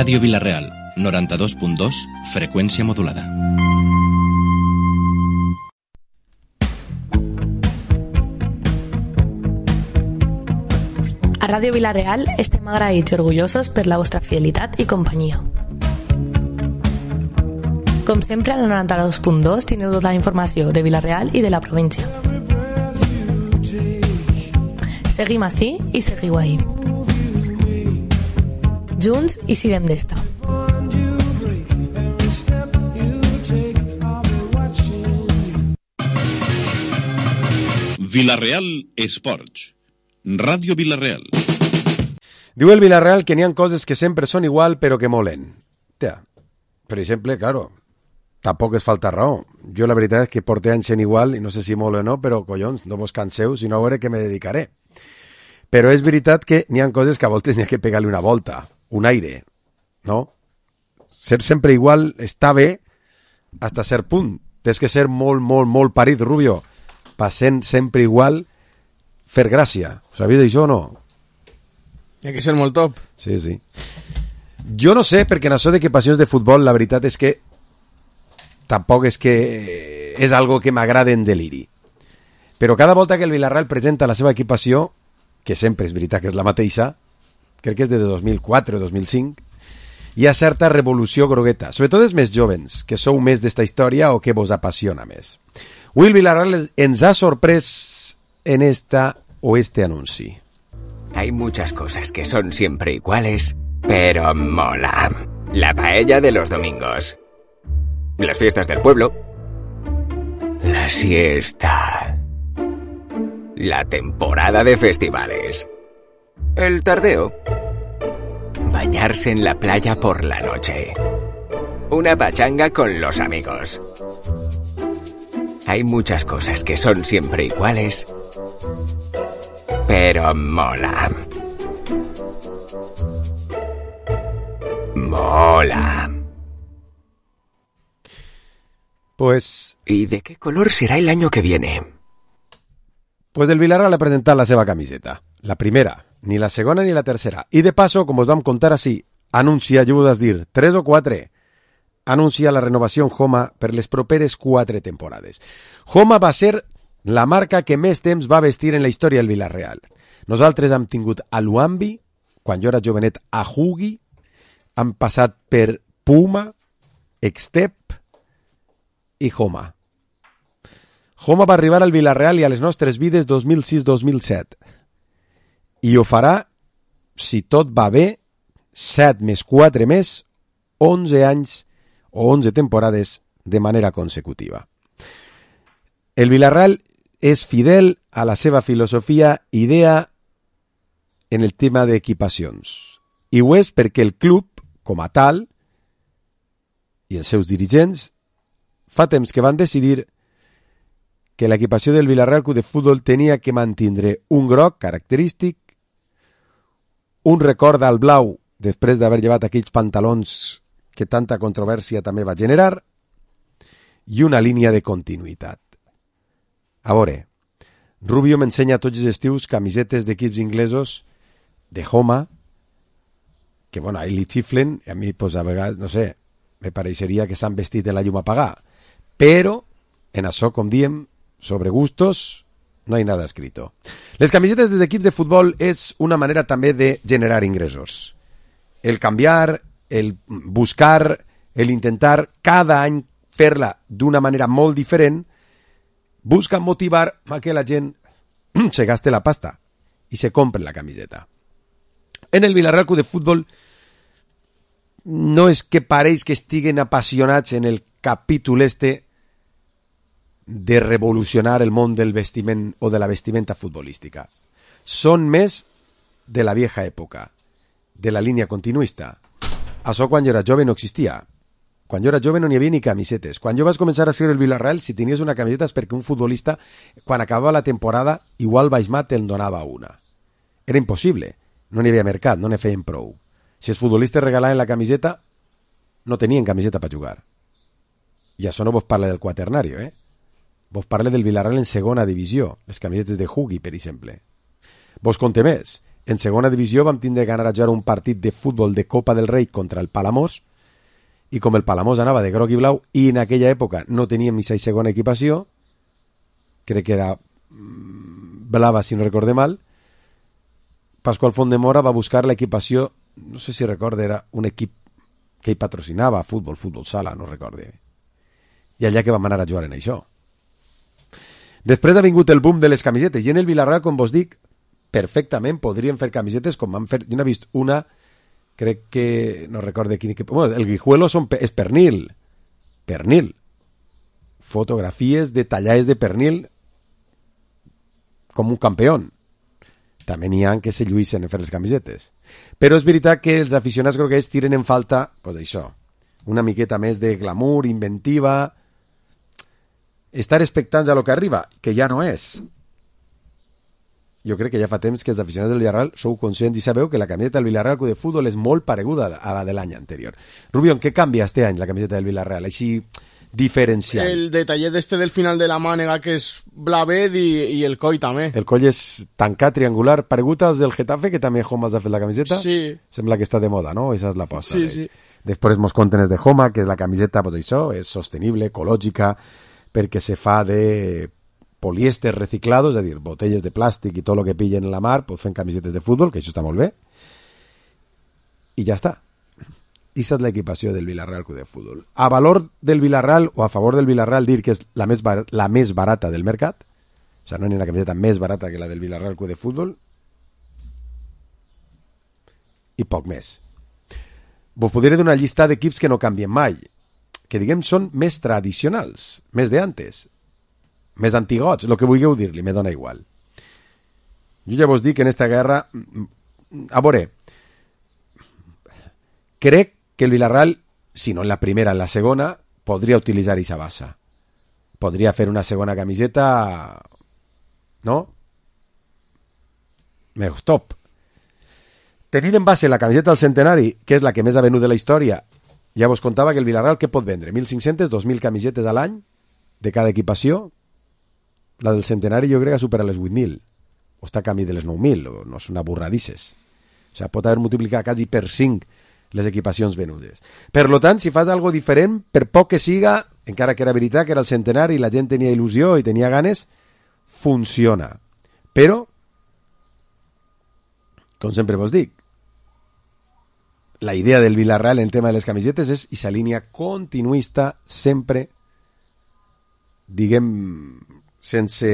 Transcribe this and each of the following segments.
Ràdio Vila-real, 92.2, freqüència modulada. A Ràdio Vila-real estem agraïts i orgullosos per la vostra fidelitat i companyia. Com sempre, a la 92.2 tindreu tota la informació de Vila-real i de la província. Seguim ací i seguiu ahí. Junts i sirem d'esta. Vila-real Esports. Ràdio Vila-real. Diu el Vila-real que n'hi ha coses que sempre són igual però que molen. Tia, per exemple, claro, tampoc es falta raó. Jo la veritat és que porté anys sent igual i no sé si mole o no, però collons, no vos canseu, si no a veure què me dedicaré. Però és veritat que n'hi ha coses que a voltes n'hi ha que pegar-li una volta, un aire, no? Ser sempre igual està bé hasta cert punt. Tens que ser molt, molt, molt parit, Rubio, passant sempre igual, fer gràcia. Ho sabies d'això o no? Hi ha que ser molt top. Sí, sí. Jo no sé, perquè en això de que passions de futbol, la veritat és que tampoc és que és algo que m'agrada en deliri. Però cada volta que el Vila-real presenta la seva equipació, que sempre és veritat que és la mateixa, crec que és de 2004 o 2005, hi ha certa revolució grogueta, sobretot els més jovens, que sou més d'esta història o que vos apassiona més. Will Vila-real ens ha sorprès en esta o este anunci. Hay muchas cosas que son siempre iguales, pero mola. La paella de los domingos. Las fiestas del pueblo. La siesta. La temporada de festivales. El tardeo. Bañarse en la playa por la noche. Una pachanga con los amigos. Hay muchas cosas que son siempre iguales, pero mola. Mola. Pues... ¿Y de qué color será el año que viene? Pues el Vila-real ha presentat la seva camiseta. La primera, ni la segona ni la tercera. I de passo, com us vam contar així, anuncia, jo us dir, 3 o 4, anuncia la renovació en Homa per les properes 4 temporades. Homa va ser la marca que més temps va vestir en la història del Vila-real. Nosaltres hem tingut a Luambi, quan jo era jovenet a Hugi, hem passat per Puma, Extep i Homa. Homa va arribar al Vila-real i a les nostres vides 2006-2007. I ho farà, si tot va bé, 7 més 4 més, 11 anys o 11 temporades de manera consecutiva. El Vila-real és fidel a la seva filosofia idea en el tema d'equipacions. I ho és perquè el club, com a tal, i els seus dirigents, fa temps que van decidir que l'equipació del Vila-real Club de Futbol tenia que mantindre un groc característic, un record al blau després d'haver llevat aquells pantalons que tanta controvèrsia també va generar, i una línia de continuïtat. A veure, Rubio m'ensenya tots els estius camisetes d'equips inglesos de Homa, que, bueno, a ell li xiflen, i a mi, pues, a vegades, no sé, me pareixeria que s'han vestit en la llum apagada. Però, en això, com diem, sobre gustos, no hay nada escrito. Les camisetes dels equips de futbol és una manera també de generar ingressos. El canviar, el buscar, el intentar cada any fer-la d'una manera molt diferent, busca motivar a que la gent se gaste la pasta i se compre la camiseta. En el Vila-real Club de Futbol no és que pareix que estiguen apassionats en el capítol este de revolucionar el món del vestiment o de la vestimenta futbolística. Són més de la vieja època, de la línia continuista. Això quan jo era jove no existia. Quan jo era jove no n'hi havia ni camisetes. Quan jo vaig començar a seguir el Vila-real, si tenies una camiseta és perquè un futbolista, quan acabava la temporada, igual Baixmat te'n donava una. Era impossible. No n'hi havia mercat, no n'hi feien prou. Si els futbolistes regalaven la camiseta, no tenien camiseta per jugar. I això no vos parla del quaternario, Vos parla del Vila-real en segona divisió, les camisetes de Hugi, per exemple. Vos conté més. En segona divisió vam tindre que anar a jugar un partit de futbol de Copa del Rei contra el Palamós, i com el Palamós anava de groc i blau, i en aquella època no teníem ni segona equipació, crec que era blava si no recorde mal, Pasqual Fontdemora va buscar l'equipació, no sé si recorde, era un equip que ell patrocinava, futbol sala, no recorde. I allà que vam anar a jugar en això. Després ha vingut el boom de les camisetes, i en el Villarreal, com vos dic, perfectament podrien fer camisetes com van fer. Jo n'he vist una, crec que, no recorde quin equip, bueno, el Guijuelo és pernil, fotografies detallades de pernil com un campió. També n'hi ha que se lluïssen en fer les camisetes. Però és veritat que els aficionats groguets tiren en falta, pues això, una miqueta més de glamour, inventiva, estar expectants a lo que arriba, que ja no és. Jo crec que ja fa temps que els aficionats del Villarreal sou conscients i sabeu que la camiseta del Villarreal de futbol és molt pareguda a la de l'any anterior. Rubión, què canvia este any la camiseta del Villarreal? Així diferencial. El detallet del final de la mànega, que és blavet, i el coll també. El coll és tancat, triangular, paregut als del Getafe, que també Homa ha fet la camiseta. Sí. Sembla que està de moda, no? Esa és l'aposta. Sí, sí. Després mos conten els de Homa, que és la camiseta, pues això, és sostenible, ecològica, perquè se fa de polièster reciclado, és a dir, botelles de plàstic i tot el que pillen en la mar, pues fent camisetes de futbol, que això està molt bé. I ja està. I és l'equipació del Villarreal Club de Futbol. A valor del Villarreal o a favor del Villarreal dir que és la més barata del mercat, o sigui, no hi ha una camiseta més barata que la del Villarreal Club de Futbol, i poc més. Vos podré donar una llista d'equips que no canvien mai, que diguem són més tradicionals, més d'antes, més antigots, el que vulgueu dir-li, me dona igual. Jo ja vos dic que en esta guerra, a veure, crec que el Villarreal, si no en la primera, en la segona, podria utilitzar aquesta bassa. Podria fer una segona camiseta, no? Més top. Tenint en base la camiseta del centenari, que és la que més ha venut de la història, ja vos contava que el Villarreal què pot vendre? 1.500, 2.000 camisetes a l'any de cada equipació. La del centenari jo crec que supera les 8.000. O està a camí de les 9.000, o no són aburradisses. O sigui, pot haver multiplicat quasi per 5 les equipacions venudes. Per lo tant, si fas algo diferent, per poc que siga, encara que era veritat que era el centenari i la gent tenia il·lusió i tenia ganes, funciona. Però, com sempre vos dic, la idea del Villarreal en el tema de les camisetes és aquesta línia continuista, sempre, diguem, sense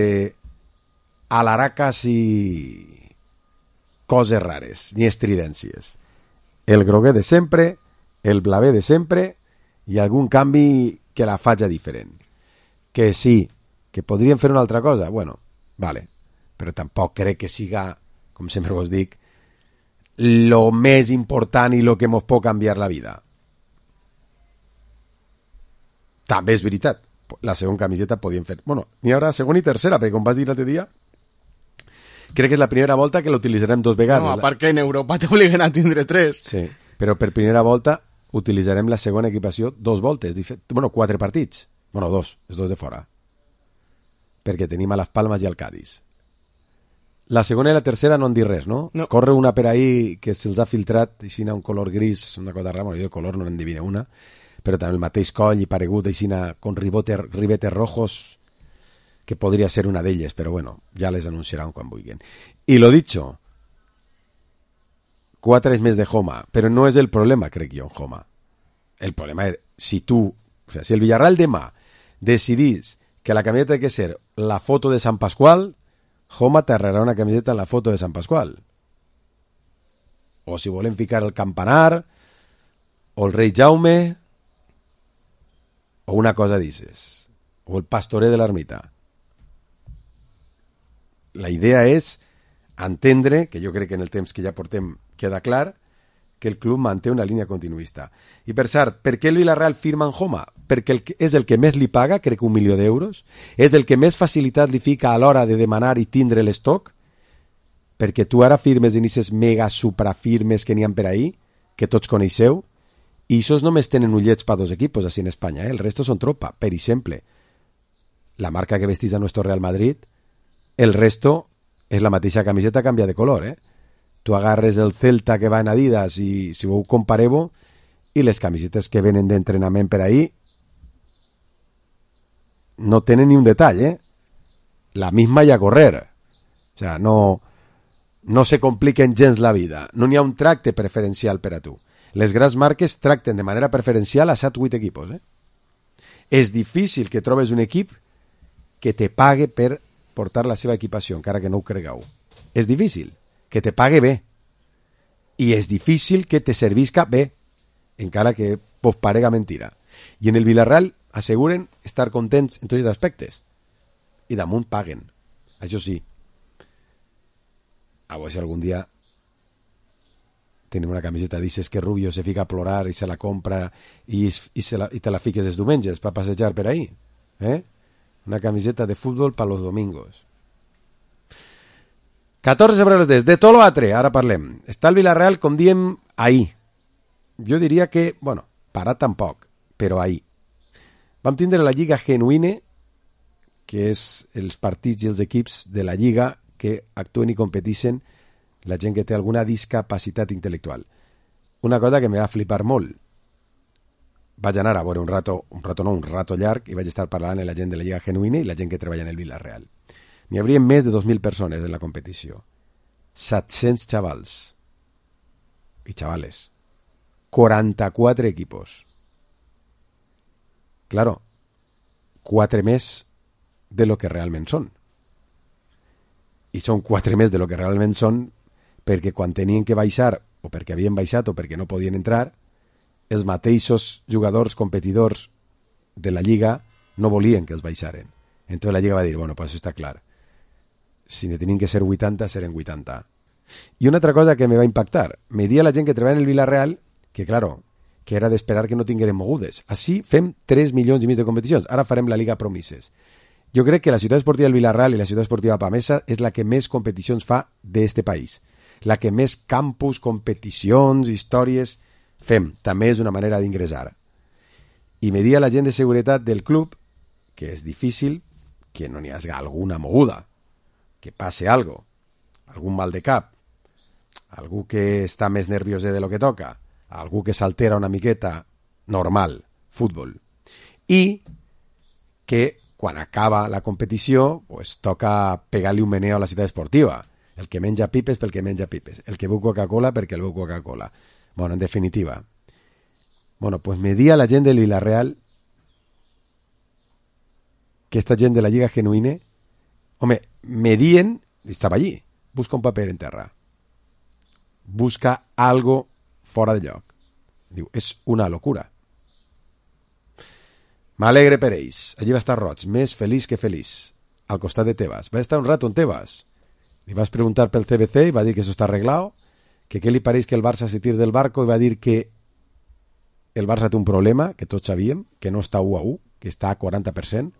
alaracas i coses rares, ni estridències. El groguer de sempre, el blaver de sempre i algun canvi que la faci diferent. Que sí, que podrien fer una altra cosa, bueno, vale, però tampoc crec que siga, com sempre vos dic, lo més important i lo que mos pot canviar la vida. També és veritat, la segona camiseta podien fer, bueno, n'hi haurà segona i tercera, perquè com vas dir l'altre dia, crec que és la primera volta que l'utilitzarem 2 vegades. No, a part que en Europa t'obliguen a tindre 3. Sí, però per primera volta utilitzarem la segona equipació 2 voltes, 4 partits. 2, els 2 de fora. Perquè tenim a Las Palmas i al Cádiz. La segona i la tercera no han dit res, no? No. Corre una per ahí que se'ls ha filtrat, així un color gris, una cosa rara, jo de color no n'endivina una, però també el mateix coll i paregut, així con ribetes rojos, que podria ser una d'elles, però bueno, ja les anunciaran quan vulguin. I lo dicho, 4 més de Homa, però no és el problema, crec jo, en Homa. El problema és, si el Villarreal demà decidís que la camiseta ha de ser la foto de Sant Pasqual, Homa t'arrerà una camiseta en la foto de Sant Pasqual. O si volen ficar el campanar, o el rei Jaume, o una cosa d'ixes, o el pastorer de l'ermita. La idea és entendre, que jo crec que en el temps que ja portem queda clar, que el club manté una línia continuista. I per cert, per què el Villarreal firma en Homa? Perquè és el que més li paga, crec que 1 milió d'euros, és el que més facilitat li fica a l'hora de demanar i tindre l'estoc, perquè tu ara firmes en aquestes mega suprafirmes que n'hi ha per ahí, que tots coneixeu, i aquests només tenen ullets per 2 equipos així en Espanya, el resto són tropa. Per exemple, la marca que vestís a nuestro Real Madrid, el resto és la mateixa camiseta, canvia de color, tu agarres el Celta que va en Adidas i si ho compareu, i les camisetes que venen d'entrenament per ahí no tenen ni un detall, la misma i a correr. O sea, no se compliquen gens la vida. No n'hi ha un tracte preferencial per a tu. Les grans marques tracten de manera preferencial a 7-8 equipos. És difícil que trobes un equip que te pague per portar la seva equipació, encara que no ho cregueu. És difícil que te pague bé. I és difícil que te servisca bé, encara que vos parega mentira. I en el Villarreal asseguren estar contents en tots els aspectes. I damunt paguen. Això sí. A veure si algun dia tenim una camiseta d'aixes que Rubio se fica a plorar i se la compra i te la fiques els diumenges per passejar per ahí. Una camiseta de futbol per los domingos. 14 sobre les 10. De tot l'altre, ara parlem. Està el Villarreal, com diem, ahir. Jo diria que, bueno, parat tampoc, però ahir. Vam tindre la Lliga Genuïne, que és els partits i els equips de la Lliga que actuen i competeixen la gent que té alguna discapacitat intel·lectual. Una cosa que me va flipar molt. Vaig anar a veure un rato llarg, i vaig estar parlant amb la gent de la Lliga Genuïne i la gent que treballa en el Villarreal. N'hi hauria més de 2.000 persones en la competició. 700 xavals i xavales. 44 equipos. Claro, 4 més de lo que realment són. I són 4 més de lo que realment són perquè quan tenien que baixar, o perquè havien baixat, o perquè no podien entrar, els mateixos jugadors competidors de la Lliga no volien que els baixaren. Entonces la Lliga va dir, bueno, pues això està clar. Si ne tenien que ser 80, seren 80. I una altra cosa que me va impactar, me dia la gent que treballa en el Villarreal, que claro, que era d'esperar que no tingueren mogudes. Així fem 3 milions i mig de competicions. Ara farem la Liga Promises. Jo crec que la ciutat esportiva del Villarreal i la ciutat esportiva Pamesa és la que més competicions fa d'este país. La que més campus, competicions, històries fem. També és una manera d'ingressar. I me dia la gent de seguretat del club que és difícil que no n'hi hagi alguna moguda, que passe algo, algun mal de cap, algú que està més nerviós de lo que toca, algú que s'altera una miqueta, normal, futbol. I que quan acaba la competició pues, toca pegar-li un meneo a la ciutat esportiva. El que menja pipes pel que menja pipes, el que beu Coca-Cola perquè el beu Coca-Cola. Bueno, en definitiva. Bueno, pues me dia la gent del Villarreal que esta gent de la Lliga Genuïne, home, me dien, estava allí, busca un paper en terra. Busca algo fora de lloc. Diu, és una locura. M'alegre per ells. Allí va estar Roig, més feliç que feliç, al costat de Tebas. Va estar un rato en Tebas. Li vas preguntar pel CBC i va dir que això està arreglado, que què li pareix que el Barça se tire del barco i va dir que el Barça té un problema, que tots sabíem, que no està 1-1, que està a 40%.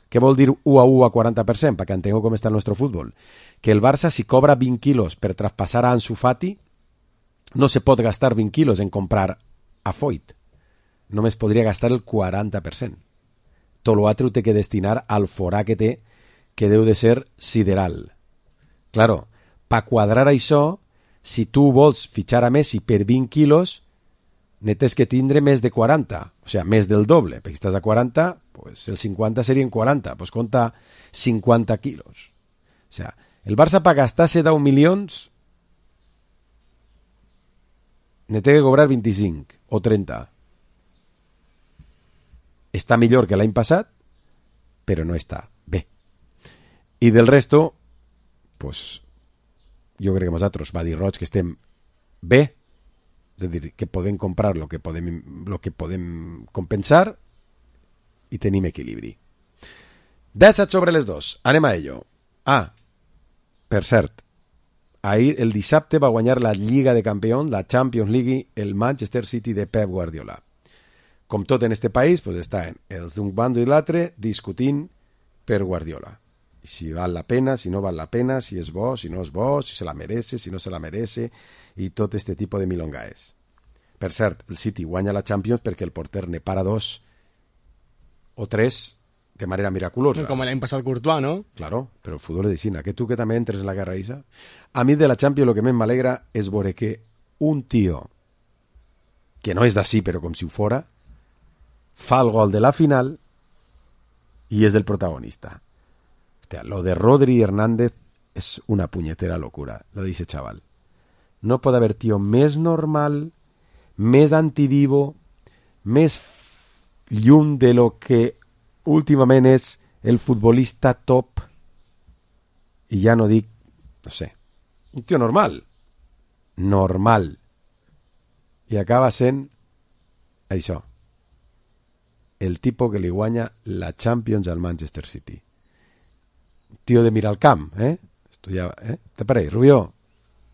Què vol dir 1-1 a 40%? Perquè entengueu com està el nostre futbol. Que el Barça, si cobra 20 quilos per traspassar a Ansu Fati, no se pot gastar 20 quilos en comprar a Foyt. Només podria gastar el 40%. Tot l'altre ho té que destinar al forà que té, que deu de ser sideral. Claro, per quadrar això, si tu vols fitxar a Messi per 20 quilos, ne tens que tindre més de 40, o sigui, més del doble, perquè si estàs a 40, pues el 50 serien 40, pues compta 50 quilos. O sigui, el Barça per gastar-se 10 milions ne té que cobrar 25 o 30. Està millor que l'any passat, però no està bé. I del resto, pues, jo crec que nosaltres, va dir Roig, que estem bé, és a dir, que podem comprar lo que podem compensar i tenim equilibri. 17 sobre les 2. Anem a ello. Per cert, ahir el dissabte va guanyar la Lliga de Campions, la Champions League, el Manchester City de Pep Guardiola. Com tot en este país, pues estan els d'un bando i l'altre discutint per Guardiola. I si val la pena, si no val la pena, si és bo, si no és bo, si se la merece, si no se la merece, i tot este tipus de milongaes. Per cert, el City guanya la Champions perquè el porter ne para 2 o 3 de manera miraculosa. Com l'any passat Courtois, no? Claro, però el futbol és de Xina. Que tu que també entres en la guerra Isa. A mi de la Champions el que més m'alegra és veure que un tio que no és d'ací però com si ho fora fa el gol de la final i és el protagonista. Hòstia, lo de Rodri Hernández és una punyetera locura, lo dice chaval. No pot haver tio més normal, més antidivo, més lluny de lo que últimament és el futbolista top, i ja no dic, no sé, un tio normal, i acaba sent això, el tipo que li guanya la Champions al Manchester City. Un tio de mirar al camp, Esto ja, te pareix, Rubió?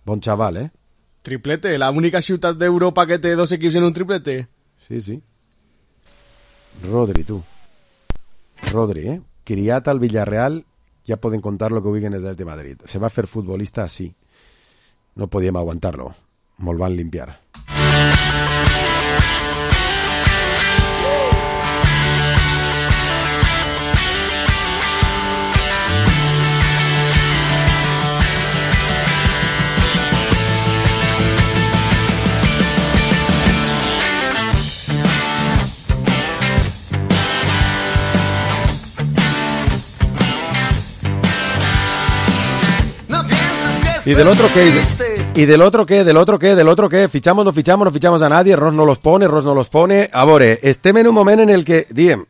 Bon xaval, Triplete, la única ciutat d'Europa que té 2 equips en un triplete. Sí. Rodri, tu. Rodri, criat al Villarreal, ja poden contar lo que vulguin des de Madrid. Se va fer futbolista así. No podíem aguantar-lo. Molt van limpiar. ¿Y del otro qué? ¿Y del otro qué? ¿Del otro qué? ¿Del otro qué? ¿Fichamos, no fichamos, no fichamos a nadie? Ross no los pone. A veure, estem en un moment en el que, diem,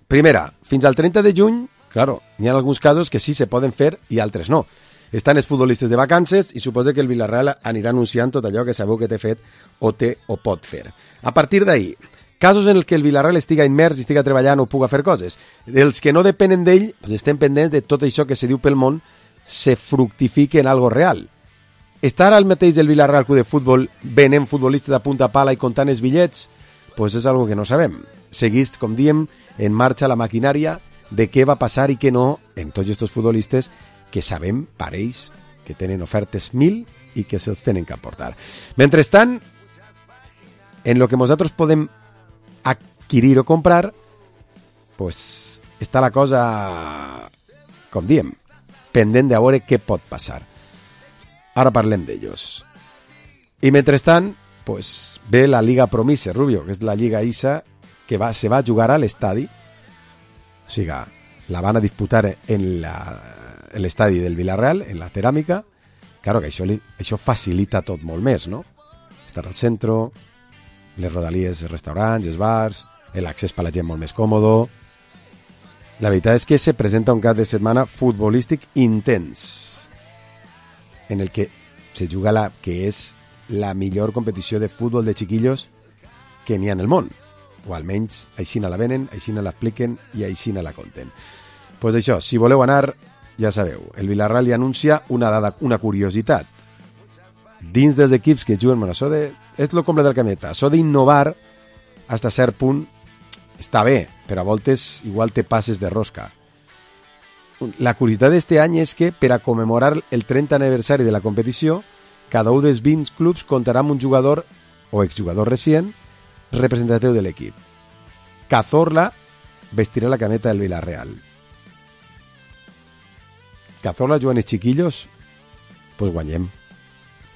primera, fins al 30 de juny, claro, n'hi ha alguns casos que sí se poden fer i altres no. Estan els futbolistes de vacances i suposa que el Villarreal anirà anunciant tot allò que sabeu que té fet o pot fer. A partir d'ahí, casos en els que el Villarreal estiga immers i estiga treballant o puga fer coses. Els que no depenen d'ell, doncs estem pendents de tot això que se diu pel món se fructifique en algo real. Està ara el mateix del Villarreal Club de Futbol venent futbolistes de punta pala i comptant els bitllets? Pues és algo que no sabem. Seguís, com diem, en marxa la maquinària de què va passar i què no en tots aquests futbolistes que sabem, pareix, que tenen ofertes 1000 i que se'ls tenen que aportar. Mentrestant, en lo que nosaltres podem adquirir o comprar, pues està la cosa, com diem, pendent de veure què pot passar. Ara parlem d'ells. I mentrestant, pues, ve la Liga Promise, Rubio, que és la Lliga ISA que se va jugar a l'estadi. O sigui, la van a disputar en l'estadi del Villarreal, en la ceràmica. Claro que això facilita tot molt més, no? Estar al centre, les rodalies, els restaurants, els bars, l'accés per la gent molt més còmodo. La veritat és que se presenta un cap de setmana futbolístic intens, en el que se juga que és la millor competició de futbol de xiquillos que n'hi ha en el món. O almenys així la venen, així l'expliquen i així la conten. Pues això, si voleu anar, ja sabeu, el Villarreal li anuncia una curiositat. Dins dels equips que juguen, bueno, és el comble del cameta, això d'innovar fins a cert punt està bé, però a voltes igual te passes de rosca. La curiositat d'este any és que per a commemorar el 30 aniversari de la competició, cada un dels 20 clubs comptarà amb un jugador o exjugador recient representatiu de l'equip. Cazorla vestirà la cameta del Villarreal. Cazorla juguen els chiquillos, pues guanyem.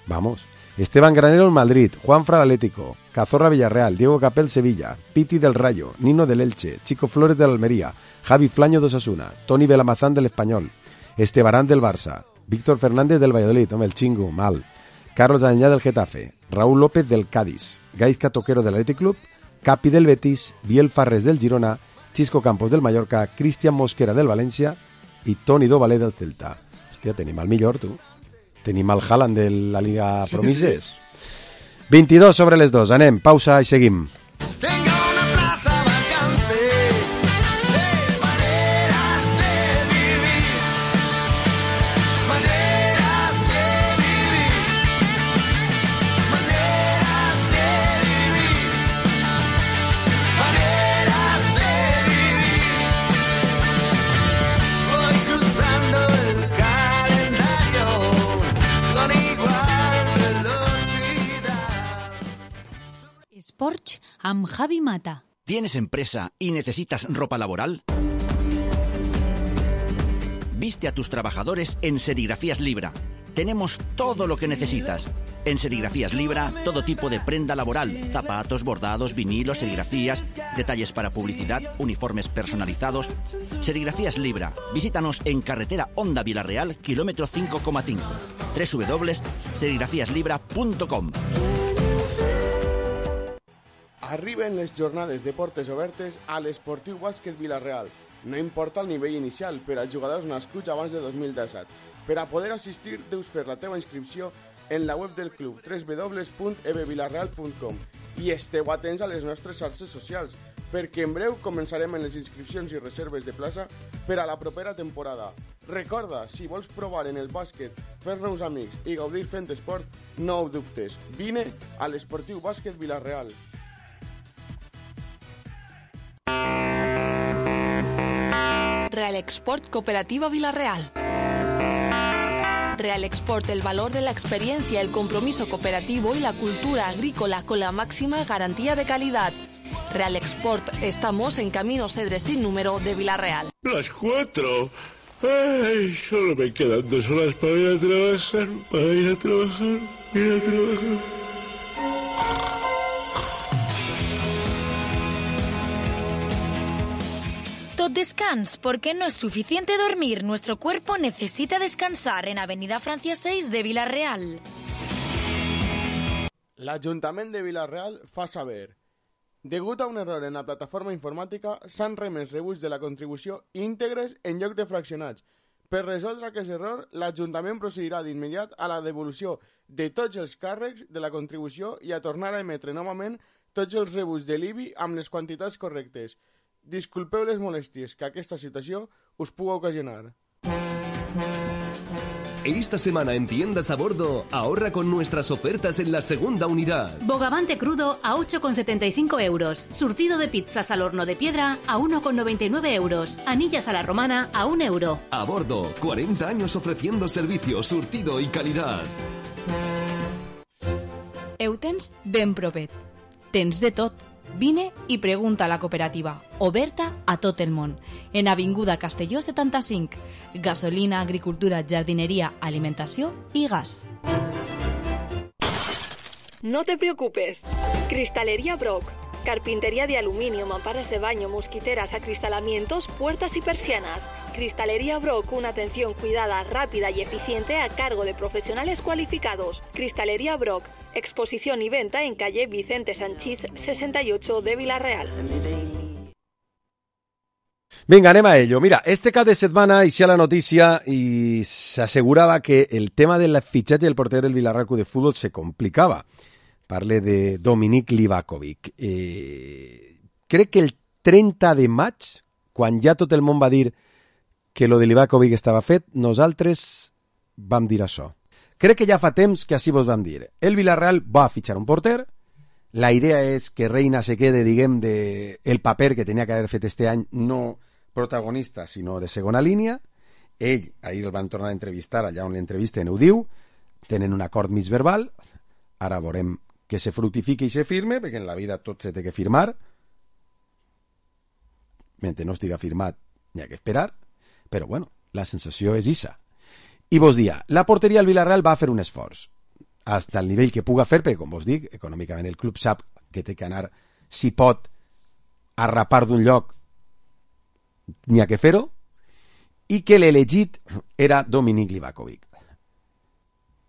Vamos. Esteban Granero en Madrid, Juanfran Atlético, Cazorla Villarreal, Diego Capel Sevilla, Piti del Rayo, Nino del Elche, Chico Flores del Almería, Javi Flaño de Osasuna, Toni Belamazán del Español, Estebarán del Barça, Víctor Fernández del Valladolid, el Chingo, mal, Carlos Dañá del Getafe, Raúl López del Cádiz, Gaisca Toquero del Athletic Club, Capi del Betis, Biel Farres del Girona, Chisco Campos del Mallorca, Cristian Mosquera del València i Toni Dovalé del Celta. Hòstia, tenim el millor, tu. Tenim el Haaland de la Liga Promises. Sí. 22 sobre les 2. Anem, pausa i seguim. Sports amb Javi Mata. ¿Tienes empresa y necesitas ropa laboral? Viste a tus trabajadores en Serigrafías Libra. Tenemos todo lo que necesitas. En Serigrafías Libra, todo tipo de prenda laboral, zapatos, bordados, vinilos, serigrafías, detalles para publicidad, uniformes personalizados. Serigrafías Libra. Visítanos en carretera Honda Vilareal, kilómetro 5,5. www.serigrafiaslibra.com. Arriben les jornades de portes obertes a l'Esportiu Bàsquet Vila-real. No importa el nivell inicial, per als jugadors nascuts abans de 2017. Per a poder assistir, deus fer la teva inscripció en la web del club, www.ebvilareal.com, i esteu atents a les nostres xarxes socials, perquè en breu començarem en les inscripcions i reserves de plaça per a la propera temporada. Recorda, si vols provar en el bàsquet, fer nous amics i gaudir fent esport, no ho dubtes. Vine a l'Esportiu Bàsquet Vila-real. Real Export Cooperativa Vila-real. Real Export, el valor de la experiencia, el compromiso cooperativo y la cultura agrícola con la máxima garantía de calidad. Real Export, estamos en Camino Cedres sin número de Vila-real. Las 4. Ay, solo me quedan 2 horas para ir a trabajar, Tot descans, porque no es suficiente dormir. Nuestro cuerpo necesita descansar en Avenida Francia 6 de Vila-real. L'Ajuntament de Vila-real fa saber: degut a un error en la plataforma informàtica, s'han remès rebuts de la contribució íntegres en lloc de fraccionats. Per resoldre aquest error, l'Ajuntament procedirà d'immediat a la devolució de tots els càrrecs de la contribució i a tornar a emetre novament tots els rebuts de l'IBI amb les quantitats correctes. Disculpeu les molèsties que aquesta situació us puga ocasionar. Esta semana en Tiendas a Bordo, ahorra con nuestras ofertas en la segunda unidad. Bogavante crudo a 8,75 euros. Surtido de pizzas al horno de piedra a 1,99 euros. Anillas a la romana a 1 euro. A Bordo, 40 años ofreciendo servicio, surtido y calidad. Eutens ben propet. Tens de tot. Vine i pregunta a la cooperativa, oberta a tot el món, en Avinguda Castelló 75, gasolina, agricultura, jardinería, alimentació i gas. No te preocupes. Cristalería Brock. Carpintería de aluminio, mamparas de baño, mosquiteras, acristalamientos, puertas y persianas. Cristalería Brock, una atención cuidada, rápida y eficiente a cargo de profesionales cualificados. Cristalería Brock, exposición y venta en calle Vicente Sanchís 68 de Vila-real. Vinga, anem a ello. Mira, este cap de setmana hicía la noticia y se aseguraba que el tema del fitxatge del porter del Vila-real Club de Fútbol se complicaba. Parle de Dominik Livakovic. Crec que el 30 de maig, quan ja tot el món va dir que lo de Livakovic estava fet, nosaltres vam dir això. Crec que ja fa temps que així vos vam dir. El Villarreal va fitxar un porter, la idea és que Reina se quede, diguem, de el paper que tenia que haver fet este any, no protagonista, sinó de segona línia. Ell, ahir el van tornar a entrevistar, allà on l'entrevisten ho diu, tenen un acord mig verbal, ara veurem que se fructifique i se firme, perquè en la vida tot se té que firmar. Mentre no estiga firmat, n'hi ha que esperar, però bueno, la sensació és issa. I vos dia, la porteria del Villarreal va fer un esforç, hasta el nivell que puga fer, perquè com vos dic, econòmicament el club sap que té que anar, si pot, a rapar d'un lloc, n'hi ha que fer-ho, i que l'elegit era Dominik Livakovic.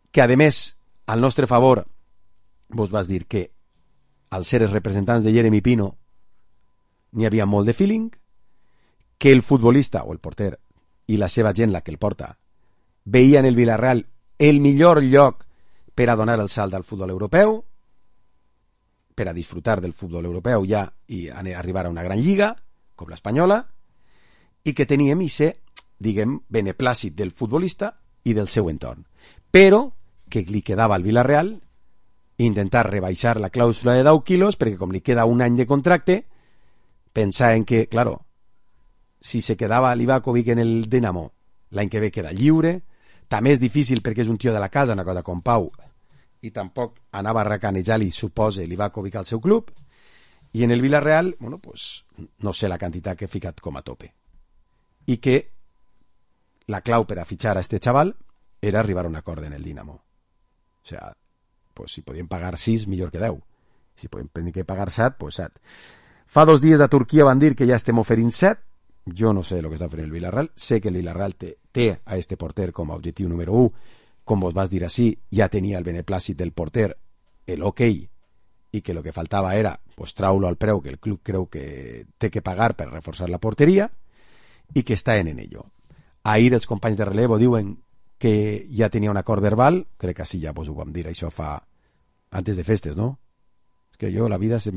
Que a més, al nostre favor, vos vas dir que al ser els representants de Jeremy Pino n'hi havia molt de feeling, que el futbolista o el porter i la seva gent, la que el porta, veien el Villarreal el millor lloc per a donar el salt al futbol europeu, per a disfrutar del futbol europeu ja i arribar a una gran lliga, com l'espanyola, i que teníem ese, diguem, beneplàcit del futbolista i del seu entorn. Però que li quedava al Villarreal intentar rebaixar la clàusula de 10 quilos, perquè com li queda un any de contracte, pensaven que, claro, si se quedava Livakovic en el Dinamo, l'any que ve queda lliure, també és difícil perquè és un tio de la casa, una cosa com Pau, i tampoc anava a racanejar-li, suposa, Livakovic al seu club, i en el Villarreal, bueno, pues, no sé la quantitat que he ficat com a tope. I que la clau per a fitxar a este chaval era arribar a un acord en el Dinamo. O sea, pues si podien pagar 6, millor que 10. Si podem tenir que pagar 7, pues 7. Fa 2 dies a Turquia van dir que ja estem oferint 7. Jo no sé el que està fent el Villarreal. Sé que el Villarreal té a este porter com a objectiu número 1. Com vos vas dir així, ja tenia el beneplàcit del porter, el ok, i que el que faltava era pues, traure al preu que el club creu que té que pagar per reforçar la porteria i que està en ello. Ahir els companys de relevo diuen que ja tenia un acord verbal, crec que així ja vos ho vam dir, això fa antes de festes, ¿no? Es que yo la vida se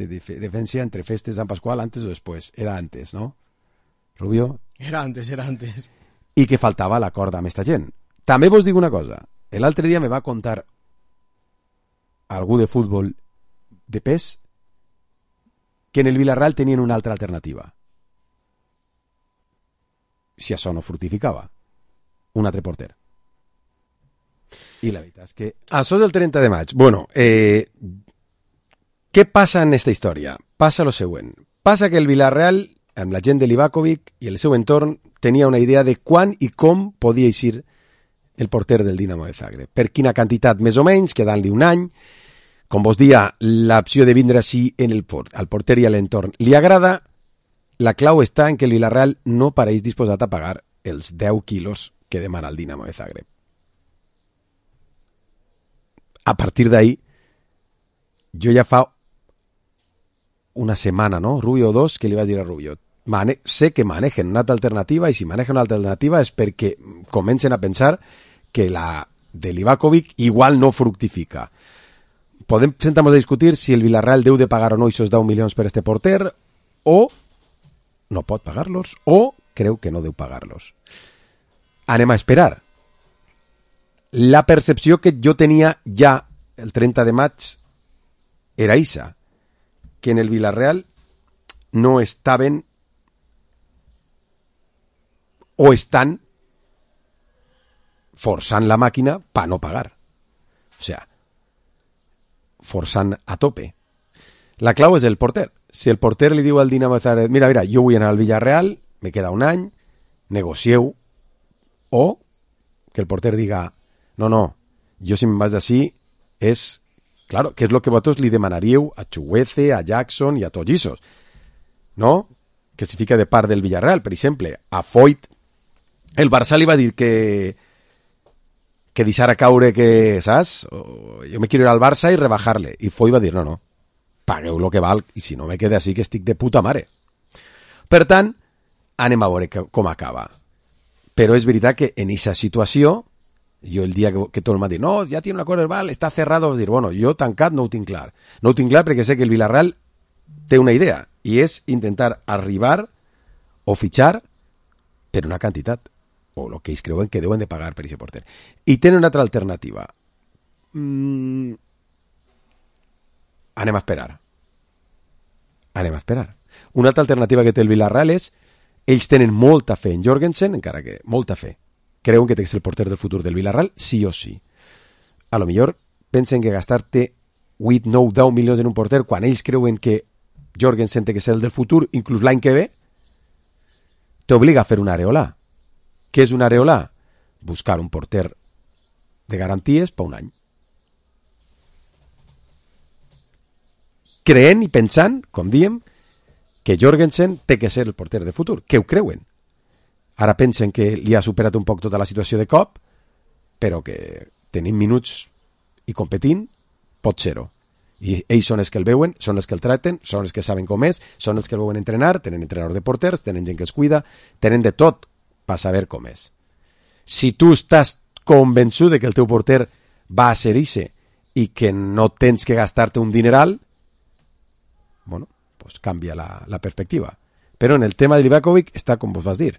diferencia entre festes de San Pascual antes o después, era antes, ¿no? Rubio? Era antes. I que faltava l'acord amb esta gent. També vos dic una cosa, l'altre dia me va contar algú de futbol de pes que en el Villarreal tenien una altra alternativa. Si això no fructificava, un altre porter. I la veritat és que això és el 30 de maig. Bueno, què passa en esta història? Passa lo següent. Passa que el Villarreal, amb la gent de Livakovic i el seu entorn, tenia una idea de quan i com podia eixir el porter del Dinamo de Zagreb. Per quina quantitat més o menys, quedant-li un any. Com vos dia, l'opció de vindre així al porter i a l'entorn li agrada. La clau està en que el Villarreal no pareix disposat a pagar els 10 quilos que demana el Dinamo de Zagreb. A partir d'ahí, jo ja fa una setmana, ¿no? Rubio o 2, que li vaig dir a Rubio, sé que manejen una altra alternativa, i si manejen una altra alternativa és perquè comencen a pensar que la de Livakovic igual no fructifica. Podem sentar-nos a discutir si el Villarreal deu de pagar o no esos 10 milions per este porter, o no pot pagar-los, o creu que no deu pagar-los. Anem a esperar. La percepció que jo tenia ja el 30 de maig era ixa, que en el Villarreal no estaven o estan forçant la màquina per no pagar. O sea, forçant a tope. La clau és el porter. Si el porter li diu al Dinamo de Zagreb, mira, jo vull anar al Villarreal, me queda un any, negocieu, o que el porter diga, no, jo si me'n vaig d'ací és, claro, que és el que vosaltres li demanaríeu a Chuguece, a Jackson i a tots aquests, no? Que si fica de part del Villarreal, per exemple, a Foyt, el Barça li va dir que deixara caure que, saps? Jo me quiero ir al Barça i rebajar-le. I Foyt va dir, no, pagueu lo que val, i si no me quede així que estic de puta mare. Per tant, anem a veure com acaba. Però és veritat que en aquesta situació, jo el dia que tot m'ha dit, no, ja tiene un acord verbal, està cerrado, vas dir, bueno, jo tancat no ho tinc clar. No ho tinc clar perquè sé que el Villarreal té una idea, i és intentar arribar o fitxar per una quantitat, o el que ells creuen que deuen de pagar per aquest porter. I tenen una altra alternativa. Anem a esperar. Una altra alternativa que té el Villarreal és, ells tenen molta fe en Jorgensen, encara que molta fe. Creuen que té que ser el porter del futur del Villarreal, sí o sí. A lo millor pensen que gastar-te 8, 9, 10 milions en un porter quan ells creuen que Jorgensen té que ser el del futur, inclús l'any que ve, t'obliga a fer una areolà. Què és una areolà? Buscar un porter de garanties per un any. Creent i pensant, com diem, que Jorgensen té que ser el porter de futur, que ho creuen. Ara pensen que li ha superat un poc tota la situació de cop, però que tenint minuts i competint, pot ser-ho. I ells són els que el veuen, són els que el tracten, són els que saben com és, són els que el veuen entrenar, tenen entrenador de porters, tenen gent que els cuida, tenen de tot per saber com és. Si tu estàs convençut de que el teu porter va a ser ixe i que no tens que gastar-te un dineral, bueno, pues canvia la perspectiva. Però en el tema de Livakovic està com vos vas dir.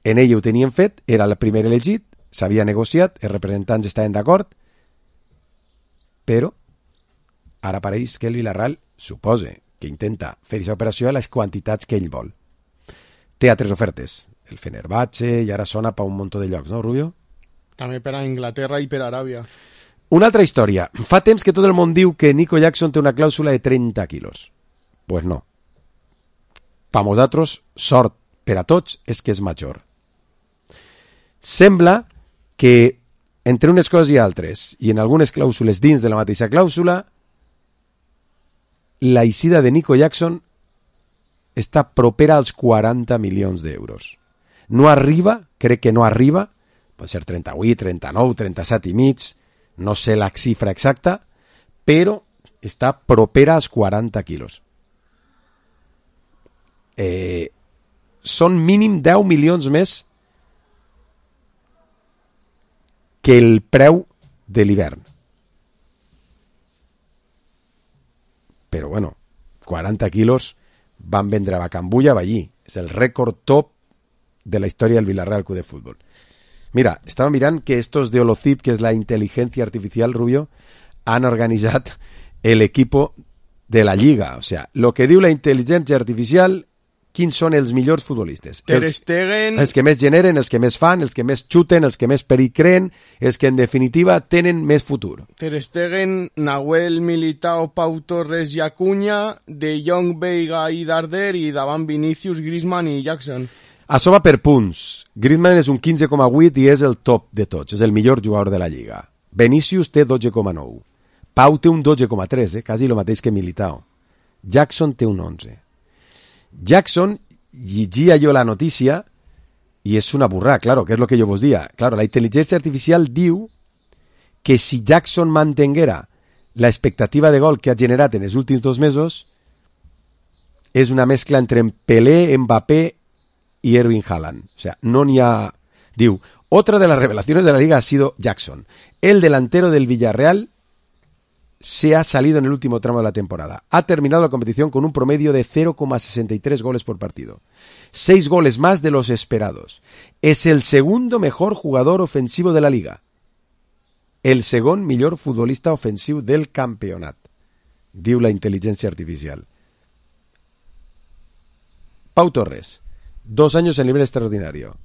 En ell ho tenien fet, era el primer elegit, s'havia negociat, els representants estaven d'acord, però ara pareix que el Villarreal suposa que intenta fer aquesta operació a les quantitats que ell vol. Té altres ofertes, el Fenerbahce, i ara sona per un munt de llocs, no, Rubio? També per a Inglaterra i per a Aràbia. Una altra història. Fa temps que tot el món diu que Nico Jackson té una clàusula de 30 quilos. Pues no. Per nosaltres, sort per a tots és que és major. Sembla que entre unes coses i altres, i en algunes clàusules dins de la mateixa clàusula, la eixida de Nico Jackson està propera als 40 milions d'euros. No arriba, crec que no arriba, pot ser 38, 39, 37 i mig, no sé la xifra exacta, però està propera als 40 quilos. Són mínim 10 milions més que el preu de l'hivern. Però bueno, 40 quilos van vendre a Bacambulla allí. És el rècord top de la història del Villarreal Club de Fútbol. Mira, estava mirant que estos de Holocip, que és la inteligencia artificial, Rubio, han organitzat el equipo de la Lliga. O sea, lo que diu la intel·ligència artificial, quins són els millors futbolistes. Ter Stegen... Els que més generen, els que més fan, els que més xuten, els que més perill creen, els que en definitiva tenen més futur. Ter Stegen, Nahuel, Militao, Pau Torres i Acuña, De Jong, Veiga i Darder, i davant Vinícius, Griezmann i Jackson. Això va per punts. Griezmann és un 15,8 i és el top de tots, és el millor jugador de la Lliga. Vinícius té 12,9. Pau té un 12,3, quasi el mateix que Militao. Jackson té un 11. Jackson, llegia jo la notícia i és una burrada, claro, que és el que jo vos dia. Claro, la intel·ligència artificial diu que si Jackson mantenguera la expectativa de gol que ha generat en els últims 2 mesos, és una mescla entre Pelé, Mbappé y Erling Haaland. O sea, no n'hi ha... Diu, otra de las revelaciones de la Liga ha sido Jackson. El delantero del Villarreal se ha salido en el último tramo de la temporada. Ha terminado la competición con un promedio de 0,63 goles por partido. 6 goles más de los esperados. Es el segundo mejor jugador ofensivo de la Liga. El segon millor futbolista ofensiu del campionat. Diu la intel·ligència artificial. Pau Torres, 2 años en nivel extraordinario.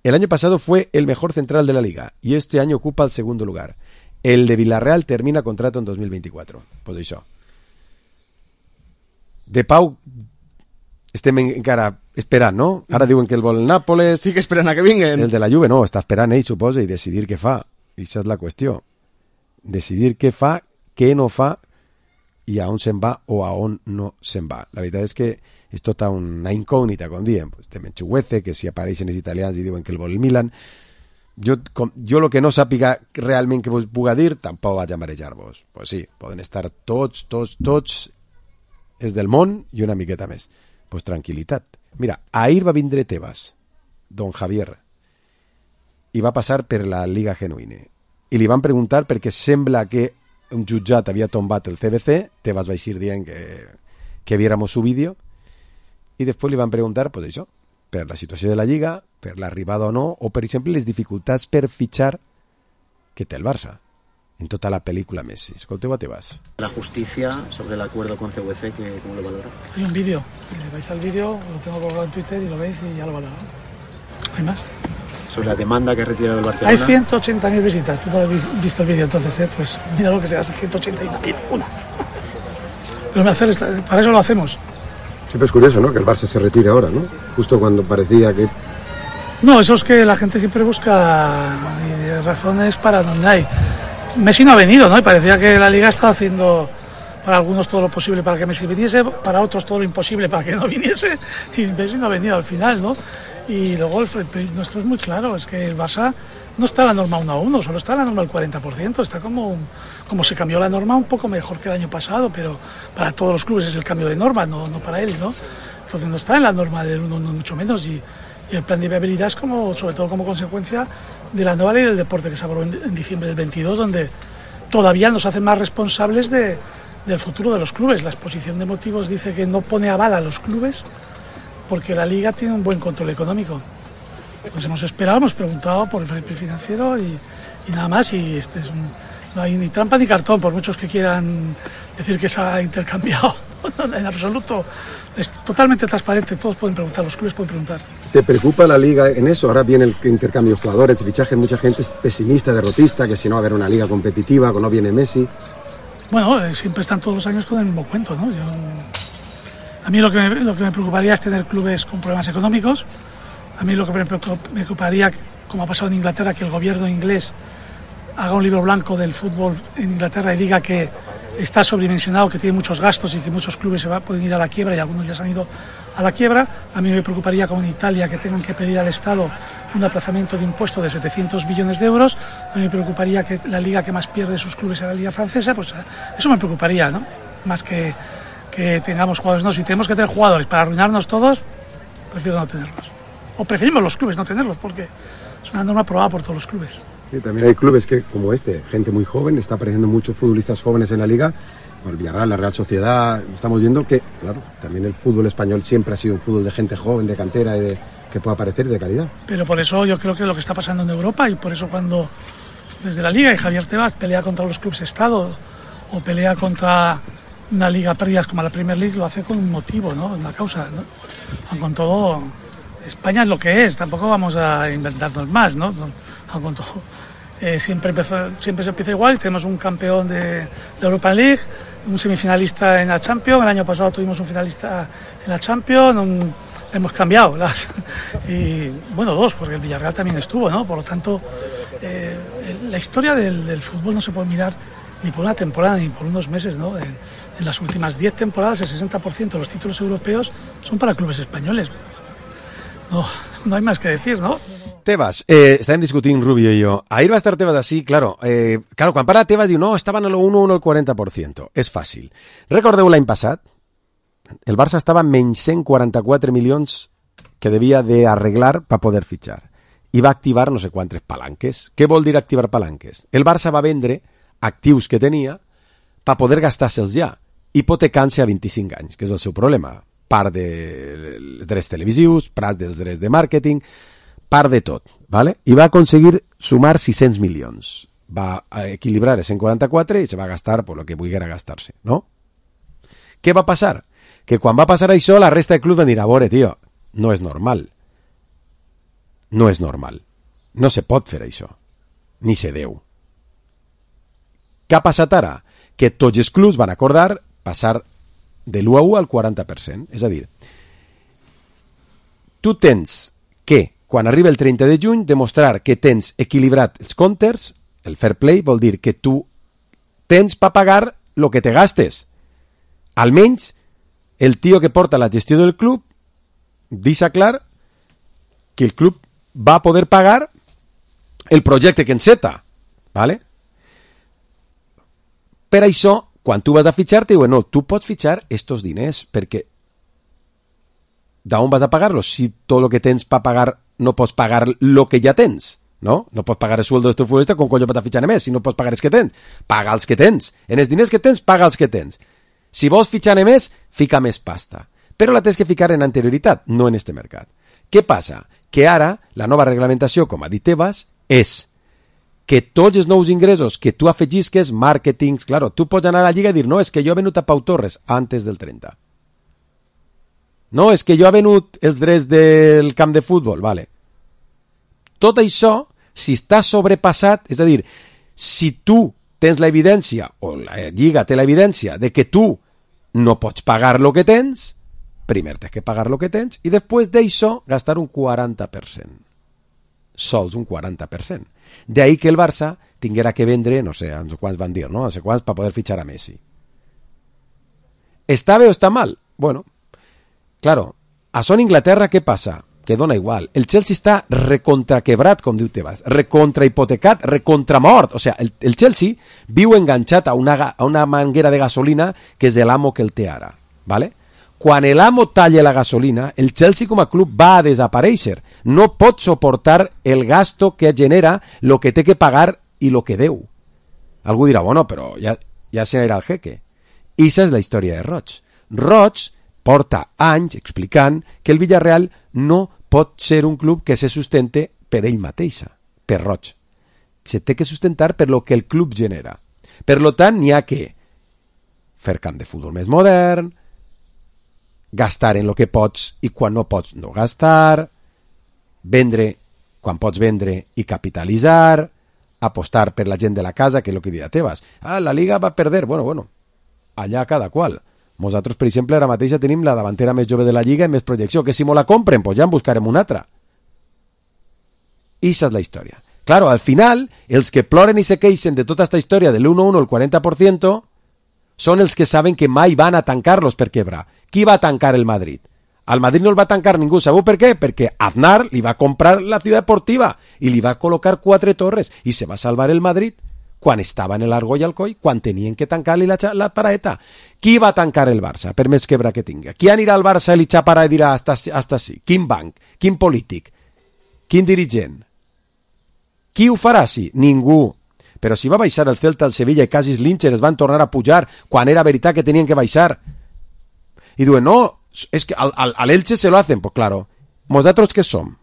El año pasado fue el mejor central de la Liga y este año ocupa el segundo lugar. El de Villarreal termina contrato en 2024. Pues això. De Pau estem encara esperant, no? Ara diuen que el vol el Nàpoles. Estic esperant a que vinguen. El de la Juve no, està esperant ell, suposa, i decidir què fa. I això és la qüestió. Decidir què fa, què no fa i a on se'n va o a on no se'n va. La veritat és que és tota una incògnita, com diem. Pues, tem Chuguece, que si apareixen els italians i diuen que el vol el Milan. Jo el que no sàpiga realment que vos puga dir, tampoc vaig a marejar-vos. Pues sí, poden estar tots és del món i una miqueta més. Pues tranquil·litat. Mira, ahir va vindre Tebas, don Javier, i va passar per la Liga Genuine. I li van preguntar perquè sembla que un jutjat havia tombat el CBC, Tebas va eixir dient que viéramos su vídeo, i després li van preguntar, pues això, per la situació de la Lliga, per l'arribada o no, o per exemple les dificultats per fitxar que té el Barça en tota la pel·lícula Messi. Escolteu a Tebas. La justicia sobre el acuerdo con CVC, ¿cómo lo valora? Hay un vídeo, vais al vídeo, lo tengo colgado en Twitter y lo veis y ya lo valoro. ¿Hay más? Sobre la demanda que ha retirado el Barcelona. Hay 180.000 visitas, tú no has visto el vídeo entonces, pues mira lo que se hace, 181. Pero para eso lo hacemos. Siempre es curioso, ¿no? Que el Barça se retire ahora, ¿no? Justo cuando parecía que... No, eso es que la gente siempre busca razones para donde hay. Messi no ha venido, ¿no? Y parecía que la Liga estaba haciendo para algunos todo lo posible para que Messi viniese, para otros todo lo imposible para que no viniese, y Messi no ha venido al final, ¿no? Y luego el nuestro es muy claro, es que el Barça no está en la norma 1-1, solo está en la norma del 40%, está como se cambió la norma un poco mejor que el año pasado, pero para todos los clubes es el cambio de norma, no para él, ¿no? Entonces no está en la norma del 1, no, mucho menos, y el plan de viabilidad es sobre todo como consecuencia de la nueva ley del deporte que se aprobó en diciembre del 22, donde todavía nos hacen más responsables del futuro de los clubes. La exposición de motivos dice que no pone aval a los clubes porque la Liga tiene un buen control económico. Pues hemos esperado, hemos preguntado por el fair play financiero y nada más, y no hay ni trampa ni cartón, por muchos que quieran decir que se ha intercambiado. No, en absoluto, es totalmente transparente, todos pueden preguntar, los clubes pueden preguntar. ¿Te preocupa la Liga en eso? Ahora viene el intercambio de jugadores, de fichajes, mucha gente es pesimista, derrotista, que si no va a haber una Liga competitiva, que no viene Messi. Bueno, siempre están todos los años con el mismo cuento, ¿no? A mí lo que me preocuparía es tener clubes con problemas económicos. A mí lo que me preocuparía como ha pasado en Inglaterra, que el gobierno inglés haga un libro blanco del fútbol en Inglaterra y diga que está sobredimensionado, que tiene muchos gastos y que muchos clubes pueden ir a la quiebra y algunos ya se han ido a la quiebra. A mí me preocuparía como en Italia que tengan que pedir al Estado un aplazamiento de impuestos de 700 billones de euros. A mí me preocuparía que la liga que más pierde sus clubes sea la liga francesa. Pues eso me preocuparía, ¿no? Más que tengamos jugadores. No, si tenemos que tener jugadores para arruinarnos todos, prefiero no tenerlos. O preferimos los clubes no tenerlos, porque es una norma aprobada por todos los clubes. Sí, también hay clubes que, como gente muy joven, está apareciendo muchos futbolistas jóvenes en la liga. El Villarreal, la Real Sociedad, estamos viendo que, claro, también el fútbol español siempre ha sido un fútbol de gente joven, de cantera, y que pueda aparecer de calidad. Pero por eso yo creo que es lo que está pasando en Europa, y por eso cuando desde la liga y Javier Tebas pelea contra los clubes Estado o pelea contra una liga pérdidas como la Premier League, lo hace con un motivo, ¿no? Una causa, ¿no? Con todo, España es lo que es, tampoco vamos a inventarnos más, ¿no? Con todo, siempre se empieza igual, y tenemos un campeón de la Europa League, un semifinalista en la Champions. El año pasado tuvimos un finalista en la Champions, hemos cambiado y bueno, dos, porque el Villarreal también estuvo, ¿no? Por lo tanto, la historia del fútbol no se puede mirar ni por una temporada ni por unos meses, ¿no? En las últimas 10 temporadas el 60% de los títulos europeos son para clubes españoles. No hay más que decir, ¿no? Tebas, estàvem discutint Rubio i jo. Ahir va estar Tebas així, claro, quan para Tebas diu, no, estaven a lo 1 o el 40%. És fàcil. Recordeu l'any passat? El Barça estava menys 144 milions que devia d'arreglar per poder fitxar. I va activar no sé quantes palanques. Què vol dir activar palanques? El Barça va vendre actius que tenia per poder gastar-se'ls ja, hipotecant-se a 25 anys, que és el seu problema. Part dels drets televisius, part dels drets de màrqueting, part de tot, ¿vale? I va aconseguir sumar 600 milions. Va equilibrar el 144 i se va gastar por lo que volguera gastar-se, ¿no? Què va passar? Que quan va passar això, la resta de clubs van dir, a veure, tio, no és normal. No és normal. No se pot fer això. Ni se deu. Què ha passat ara? Que tots els clubs van acordar passar de l'1 a 1 al 40%. És a dir, tu tens que, quan arriba el 30 de juny, demostrar que tens equilibrat els comptes. El fair play vol dir que tu tens per pagar el que te gastes. Almenys el tio que porta la gestió del club deixa clar que el club va poder pagar el projecte que enceta, ¿vale? Per això, quan tu vas a fitxar, te diuen, no, tu pots fitxar estos diners, perquè d'on vas a pagar-los? Si tot el que tens per pagar no pots pagar el que ja tens, ¿no? No pots pagar el sueldo del teu futbolista, com colló pots fitxar més? Si no pots pagar els que tens, paga els que tens. En els diners que tens, paga els que tens. Si vols fitxar més, fica més pasta. Però la tens que ficar en anterioritat, no en este mercat. Què passa? Que ara, la nova reglamentació, com ha dit Tebas, és que tots els nous ingressos que tu afegisques, màrquetings, claro, tu pots anar a la lliga i dir, no, és que jo he venut a Pau Torres antes del 30. No, és que jo he venut els drets del camp de futbol, vale. Tot això, si està sobrepassat, és a dir, si tu tens l'evidència, o la lliga té l'evidència, de que tu no pots pagar el que tens, primer tens que pagar el que tens, i després d'això gastar un 40%. Sols un 40%. D'ahí que el Barça tinguera que vendre, no sé, no sé quants van dir, no? No sé quants, per poder fitxar a Messi. ¿Està bé o està mal? Bueno, claro, això en Inglaterra què passa? Que dona igual. El Chelsea està recontraquebrat, com diu Tebas, recontrahipotecat, recontramort. O sigui, el Chelsea viu enganxat a una manguera de gasolina que és l'amo que el té ara, ¿vale? Quan l'amo talla la gasolina, el Chelsea com a club va a desaparèixer. No pot suportar el gasto que genera lo que té que pagar i lo que deu. Algú dirà, bueno, però ja se n'era el jeque. I aquesta és la història de Roig. Roig porta anys explicant que el Villarreal no pot ser un club que se sustente per ell mateixa, per Roig. Se té que sustentar per lo que el club genera. Per lo tant, n'hi ha que fer camp de futbol més modern, gastar en lo que pots i quan no pots no gastar, vendre quan pots vendre i capitalitzar, apostar per la gent de la casa, que és el que diria Tebas. La Liga va perder. Bueno, allà cada qual. Nosaltres, per exemple, ara mateix ja tenim la davantera més jove de la Lliga i més projecció, que si mo la compren, pues ja en buscarem una altra. Ixa és la història. Claro, al final, els que ploren i se queixen de tota esta història de l'1-1, el 40%, són els que saben que mai van a tancar-los per quebrar. Qui va tancar el Madrid? Al Madrid no el va tancar ningú. Sabeu per què? Perquè Aznar li va comprar la Ciutat Deportiva i li va col·locar 4 torres i se va salvar el Madrid quan estava en l'Argo i Alcoi, quan tenien que tancar-li la paraeta. Qui va tancar el Barça, per més quebra que tingui? Qui anirà al Barça i li xaparà i dirà hasta sí? Quin banc? Quin polític? Quin dirigent? Qui ho farà? Sí, ningú. Però si va baixar el Celta, el Sevilla i quasi els Lyncher es van tornar a pujar quan era veritat que tenien que baixar. I diuen, no, és que al Elche se lo hacen. Pues claro, ¿nosaltres què som?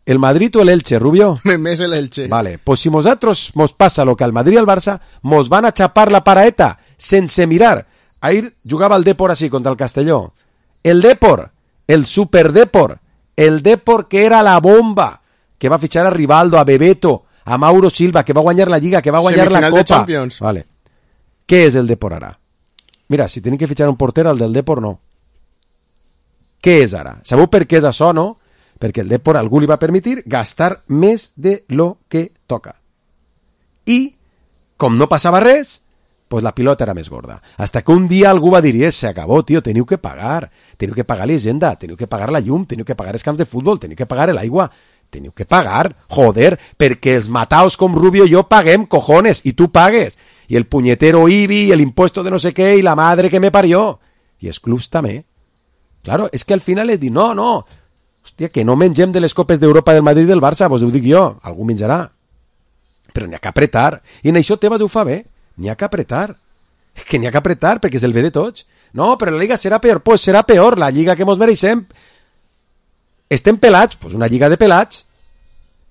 ¿El Madrid o el Elche, Rubio? Més el Elche. Vale, pues si nosaltres mos passa lo que al Madrid y al Barça, mos van a chapar la paraeta sense mirar. Ahir jugava el Depor así contra el Castelló. El Depor, el Super Depor, el Depor que era la bomba, que va a fichar a Rivaldo, a Bebeto, a Mauro Silva, que va a guanyar la Lliga, que va a guanyar la Copa. De Champions. Vale. Què és el Depor ara? Mira, si tenen que fitxar un porter, el del Depor no. Què és ara? Sabeu per què és això, no? Perquè el Depor algú li va permetir gastar més de lo que toca. I, com no passava res, pues la pilota era més gorda. Hasta que un dia algú va dir, se acabó, tio, teniu que pagar l'agenda, teniu que pagar la llum, teniu que pagar els camps de futbol, teniu que pagar l'aigua, teniu que pagar, joder, perquè els mataos com Rubio i jo paguem, cojones, i tu pagues. I el puñetero IBI, i el impuesto de no sé què, i la madre que me parió. I els clubs també. Claro, és que al final és dir, no, hòstia, que no mengem de les copes d'Europa del Madrid i del Barça, vos ho dic jo, algú menjarà. Però n'hi ha que apretar. I en això Tebas ho fa bé. N'hi ha que apretar. És que n'hi ha que apretar perquè és el bé de tots. No, però la Lliga serà peor. Pues serà peor, la Lliga que mos mereixem. Estem pelats, pues una Lliga de pelats.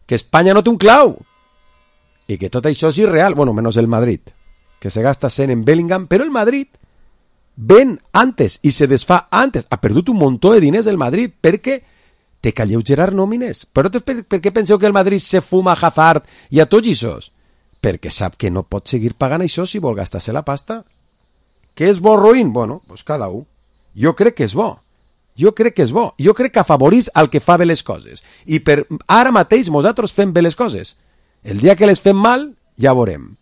Que Espanya no té un clau. I que tot això és irreal. Bueno, menos el Madrid, que se gasta 100 en Bellingham, però el Madrid ven antes i se desfà antes. Ha perdut un muntó de diners el Madrid perquè té que alleugerar nòmines. Però per què penseu que el Madrid se fuma a Hazard i a tots ixos? Perquè sap que no pot seguir pagant això si vol gastar-se la pasta. Què és bo o ruïn? Bueno, pues cada un. Jo crec que és bo. Jo crec que afavorís el que fa bé les coses. I per ara mateix nosaltres fem bé les coses. El dia que les fem mal, ja veurem.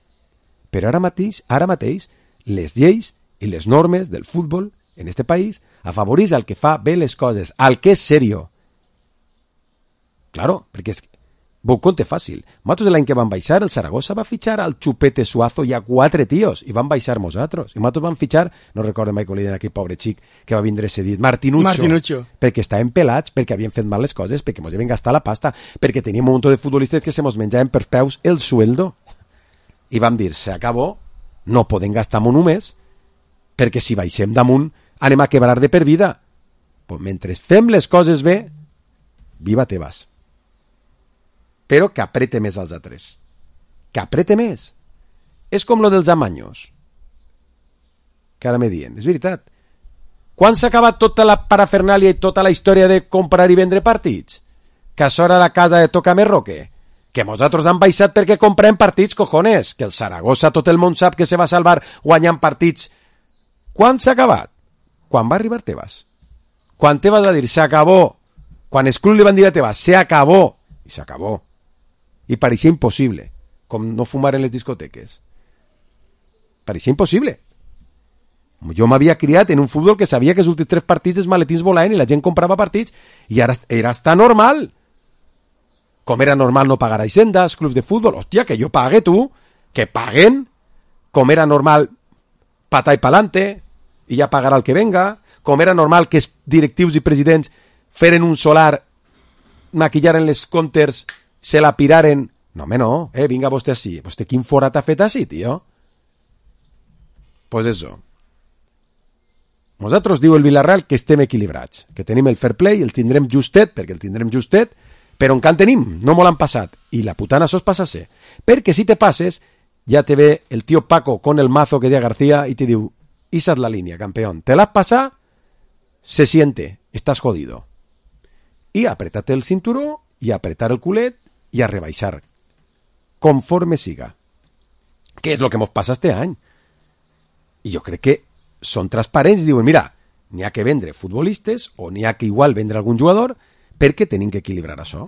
Però ara mateix, les lleis i les normes del futbol en este país afavorís el que fa bé les coses, el que és serio. Claro, perquè és... Vos conte fàcil. Nosaltres l'any que van baixar, el Zaragoza va fitxar al Chupete Suazo i a 4 tios, i van baixar nosaltres. I nosaltres van fitxar, no recordo mai com li deien aquell pobre xic que va vindre cedit, Martinuccio. Perquè estaven pelats, perquè havien fet mal les coses, perquè mos havien gastat la pasta, perquè teníem un munt de futbolistes que se mos menjaven per peus el sueldo. I vam dir, se acabó, no podem gastar un només, perquè si baixem damunt anem a quebrar de per vida. Pues mentre fem les coses bé, viva Tebas. Però que aprete més als altres. Que aprete més. És com lo dels amanyos. Que ara me dient. És veritat. Quan s'ha acabat tota la parafernàlia i tota la història de comprar i vendre partits? Que això era la casa de Tócame Roque? Que nosaltres han baixat perquè comprem partits, cojones? Que el Zaragoza tot el món sap que se va salvar guanyant partits. Quan s'ha acabat? Quan va arribar Tebas. Quan Tebas va dir s'acabó. Quan els clubs li van dir a Tebas s'acabó. I s'acabó. I pareixia impossible, com no fumar en les discoteques. Pareixia impossible. Jo m'havia criat en un futbol que sabia que els últims 3 partits els maletins volaven i la gent comprava partits i ara era hasta normal. Com era normal no pagar a Hisendas, clubs de futbol. Hòstia, que jo pague, tu, que paguen. Com era normal patar i pa'lante i ja pagarà el que venga. Com era normal que els directius i presidents feren un solar, maquillaren les comptes, se la piraren. No, home, no. Vinga vostè així. Vostè quin forat ha fet així, tio? Pues eso. Nosaltres diu el Villarreal que estem equilibrats, que tenim el fair play, el tindrem justet, perquè el tindrem justet, però encara tenim, no molt han passat. I la putana sos passa-se. Perquè si te passes, ja te ve el tio Paco con el mazo que dia García i te diu, esa es la línea, campeón. Te l'has passat, se siente, estás jodido. I apretate el cinturó, i apretar el culet, i a rebaixar conforme siga. Què és el que mos passa este any? I jo crec que són transparents i diuen, mira, n'hi ha que vendre futbolistes o n'hi ha que igual vendre algun jugador perquè tenim que equilibrar això.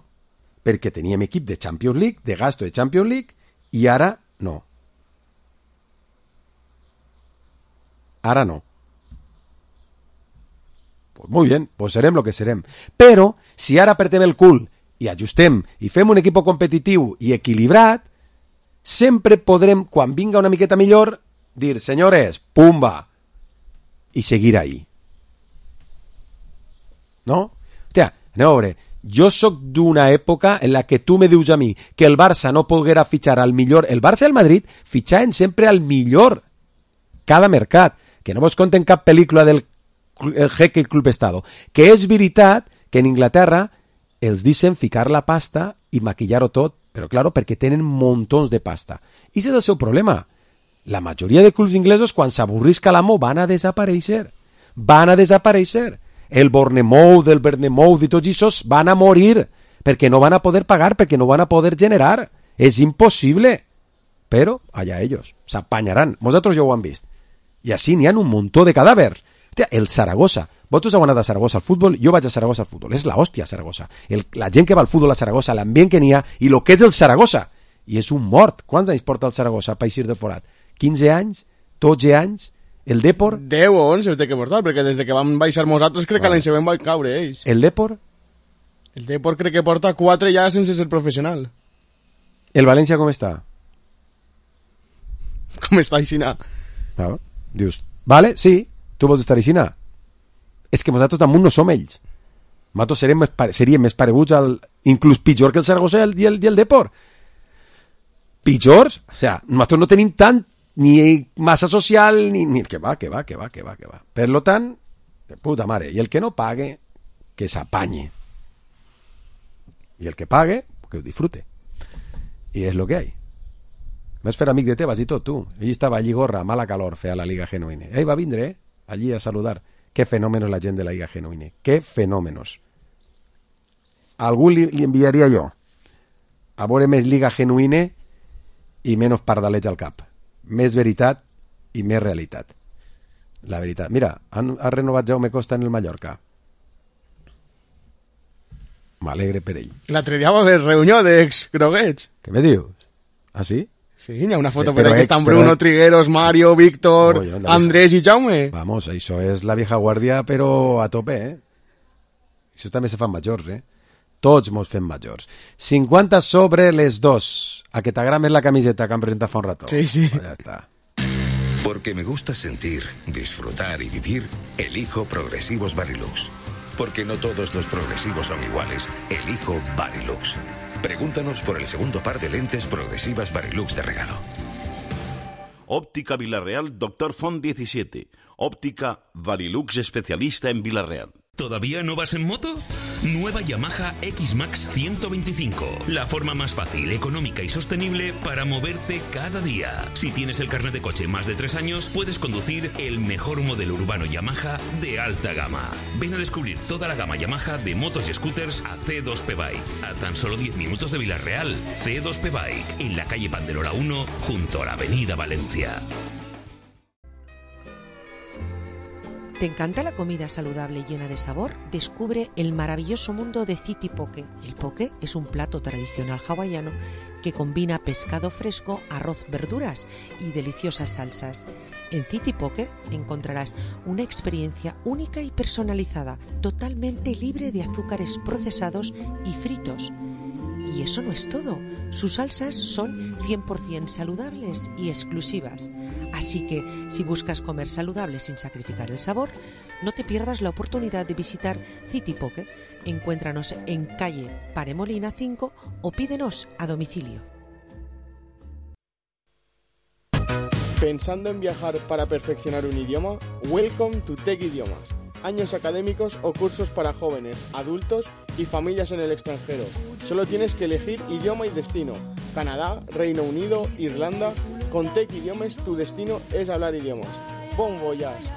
perquè teníem equip de Champions League, de gasto de Champions League, i ara no. Ara no. Pues muy bien, pues serem lo que serem. Però, si ara apretem el cul i ajustem i fem un equip competitiu i equilibrat, sempre podrem, quan vinga una miqueta millor, dir, senyores, pumba, i seguir ahí. No? Hòstia, aneu a veure, jo sóc d'una època en la que tu me dius a mi que el Barça no poguera fitxar al millor, el Barça i el Madrid fitxaven sempre al millor cada mercat, que no vos conten cap pel·lícula del Jeque Club Estado, que és veritat que en Inglaterra els deixen ficar la pasta i maquillar-ho tot, però claro, perquè tenen muntons de pasta. I ese és el seu problema. La majoria de clubs inglesos, quan s'avorrisca l'amo, van a desaparèixer. Van a desaparèixer. El Bournemouth, el Bournemouth i tots aquests van a morir, perquè no van a poder pagar, perquè no van a poder generar. És impossible. Però, allà ells, s'apanyaran. Vosaltres ja ho han vist. I així n'hi ha un muntó de cadàvers. Hòstia, el Saragossa. Vosaltres heu anat a Saragossa al futbol, jo vaig a Saragossa al futbol. És la hòstia, Saragossa. La gent que va al futbol a Saragossa, l'ambient que n'hi ha, i el que és el Saragossa. I és un mort. Quants anys porta el Saragossa per eixir del forat? 15 anys? 12 anys? El Depor? 10 o 11 té que portar, perquè des que vam baixar nosaltres crec que l'any següent van caure ells. El Depor? El Depor crec que porta 4 ja sense ser professional. El València com està? Com està Aixina? No. Dius, vale, sí, tu vols estar Aixina. És que nosaltres damunt no som ells. Nosaltres seríem més pareguts inclús pitjor que el Saragossa i el Depor. Pitjors? O sea, nosaltres no tenim tant ni massa social, ni... Que va. Per lo tant, de puta mare. I el que no pague, que s'apanye. I el que pague, que ho disfrute. I és lo que hay. Vas fer amic de Tebas i tot, tu. Ell estava allí gorra, mala calor, feia la Liga Genuine. Ell va vindre, allí a saludar. Qué fenómenos la gent de la Liga Genuine. Qué fenómenos. A algú li enviaria jo a veure més Liga Genuine i menys pardalets al cap. Més veritat i més realitat. La veritat. Mira, ha renovat Jaume Costa en el Mallorca. M'alegre per ell. L'altre dia va haver reunió d'ex-groguets. Què me dius? Ah, sí? Sí, hi ha una foto per aquí que estan Bruno, Trigueros, Mario, Víctor, Andrés i Jaume. Vamos, això és la vieja guàrdia, però a tope, eh? Això també se fan majors, eh? Tots mos fem majors. 50 sobre les 2. A que t'agrada més la camiseta que han presentat fa un rato. Sí, sí. Pues ya está. Porque me gusta sentir, disfrutar y vivir, elijo Progresivos Varilux. Porque no todos los progresivos son iguales. Elijo Varilux. Pregúntanos por el segundo par de lentes progresivas Varilux de regalo. Óptica Villarreal, Dr. Font 17. Óptica Varilux especialista en Villarreal. ¿Todavía no vas en moto? Nueva Yamaha X-Max 125. La forma más fácil, económica y sostenible para moverte cada día. Si tienes el carnet de coche más de 3 años, puedes conducir el mejor modelo urbano Yamaha de alta gama. Ven a descubrir toda la gama Yamaha de motos y scooters a C2P Bike. A tan solo 10 minutos de Villarreal, C2P Bike, en la calle Pandelora 1, junto a la avenida Valencia. ¿Te encanta la comida saludable y llena de sabor? Descubre el maravilloso mundo de City Poke. El poke es un plato tradicional hawaiano que combina pescado fresco, arroz, verduras y deliciosas salsas. En City Poke encontrarás una experiencia única y personalizada, totalmente libre de azúcares procesados y fritos. Y eso no es todo. Sus salsas son 100% saludables y exclusivas. Así que, si buscas comer saludable sin sacrificar el sabor, no te pierdas la oportunidad de visitar City Poke. Encuéntranos en calle Paremolina 5 o pídenos a domicilio. ¿Pensando en viajar para perfeccionar un idioma? Welcome to Tech Idiomas. Años académicos o cursos para jóvenes, adultos y familias en el extranjero. Solo tienes que elegir idioma y destino. Canadá, Reino Unido, Irlanda. Con Tech Idiomes tu destino és hablar idiomes. Bon voyage!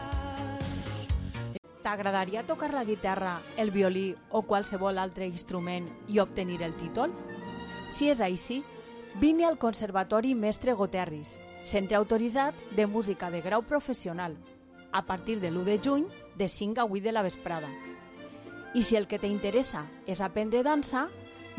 T'agradaria tocar la guitarra, el violí o qualsevol altre instrument i obtenir el títol? Si és així, vine al Conservatori Mestre Goterris, centre autoritzat de música de grau professional, a partir de l'1 de juny de 5 a 8 de la vesprada. I si el que t'interessa és aprendre dansa,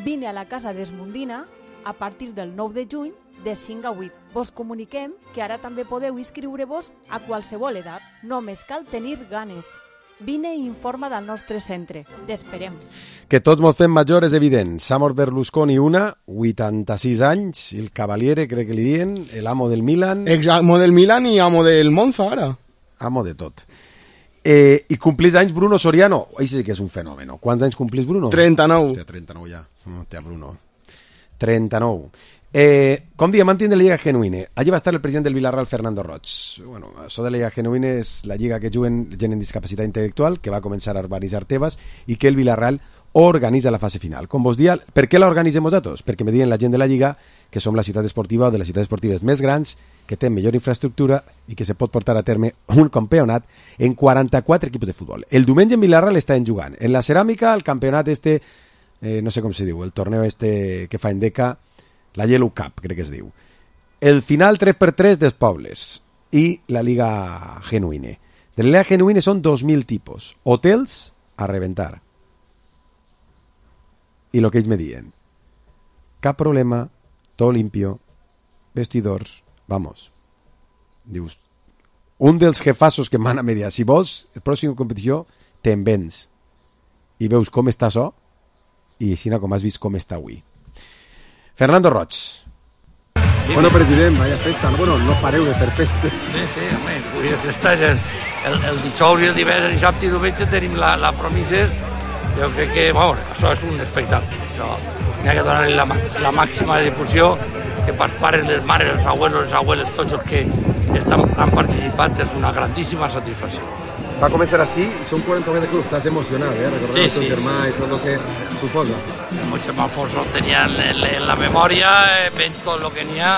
Vine a la Casa d'Esmundina a partir del 9 de juny de 5 a 8. Vos comuniquem que ara també podeu inscriure-vos a qualsevol edat. Només cal tenir ganes. Vine i informa del nostre centre. T'esperem. Que tots mos fem major és evident. S'ha mort Berlusconi 86 anys, el Cavaliere, crec que li diuen, l'amo del Milan. Amo del Milan i amo del Monza, ara. Amo de tot. I complís anys Bruno Soriano. Això sí que és un fenomen. Quants anys complís Bruno? 39. Hòstia, 39 ja. Hòstia, Bruno. 39. Com diem, mantindre la Lliga Genuïne. Allí va estar el president del Villarreal, Fernando Roig. Bueno, això de la Lliga Genuïne és la lliga que juguen gent amb discapacitat intel·lectual, que va començar a urbanitzar Tebas i que el Villarreal organitza la fase final. Com vos dia, per què l'organitzem nosaltres? Perquè me diuen la gent de la Lliga que som la ciutat esportiva o de les ciutats esportives més grans, que té millor infraestructura i que se pot portar a terme un campionat en 44 equips de futbol. El diumenge en Villarreal estan jugant. En la ceràmica, el campionat no sé com se diu, el torneo que fa Endeca, la Yellow Cup, crec que es diu. El final 3x3 dels pobles i la Liga Genuïne. De la Liga Genuïne són 2.000 tipus. Hotels a reventar. I lo que ells me diuen. Cap problema, tot limpio, vestidors, vamos. Dius, un dels jefassos que m'han a mediar, si vols, el pròxim competició, te'n vens. I veus com està això, i així com has vist com està avui. Fernando Roig. Bueno, president, vaya festa. Bueno, no pareu de fer festes. Sí, home, avui és festa. El dijous i el divendres, dissabte i diumenge tenim la Promises. Jo crec que, bueno, això és un espectacle. Això n'hi ha que donar-li la màxima difusió, que per pares, les mares, els abuelos, tots els que han participat, és una grandíssima satisfacció. Va començar així i són 49 de clubs. Estàs emocionat, recordar el teu germà i tot el que suposa. El meu germà Alfonso el tenia en la memòria, veient tot el que n'hi ha,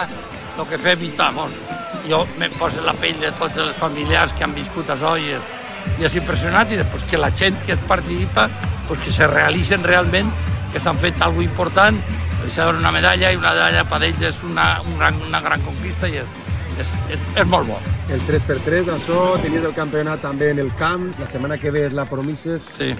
el que fem i tal. Jo me poso la pell de tots els familiars que han viscut això i és impressionant, i després que la gent que participa, que se realitzen realment, que estan fent alguna cosa important, deixar una medalla, i una medalla per ells és una gran conquista i és molt bo. El 3x3, això, tenies el campionat també en el camp, la setmana que ve és la Promises. Sí.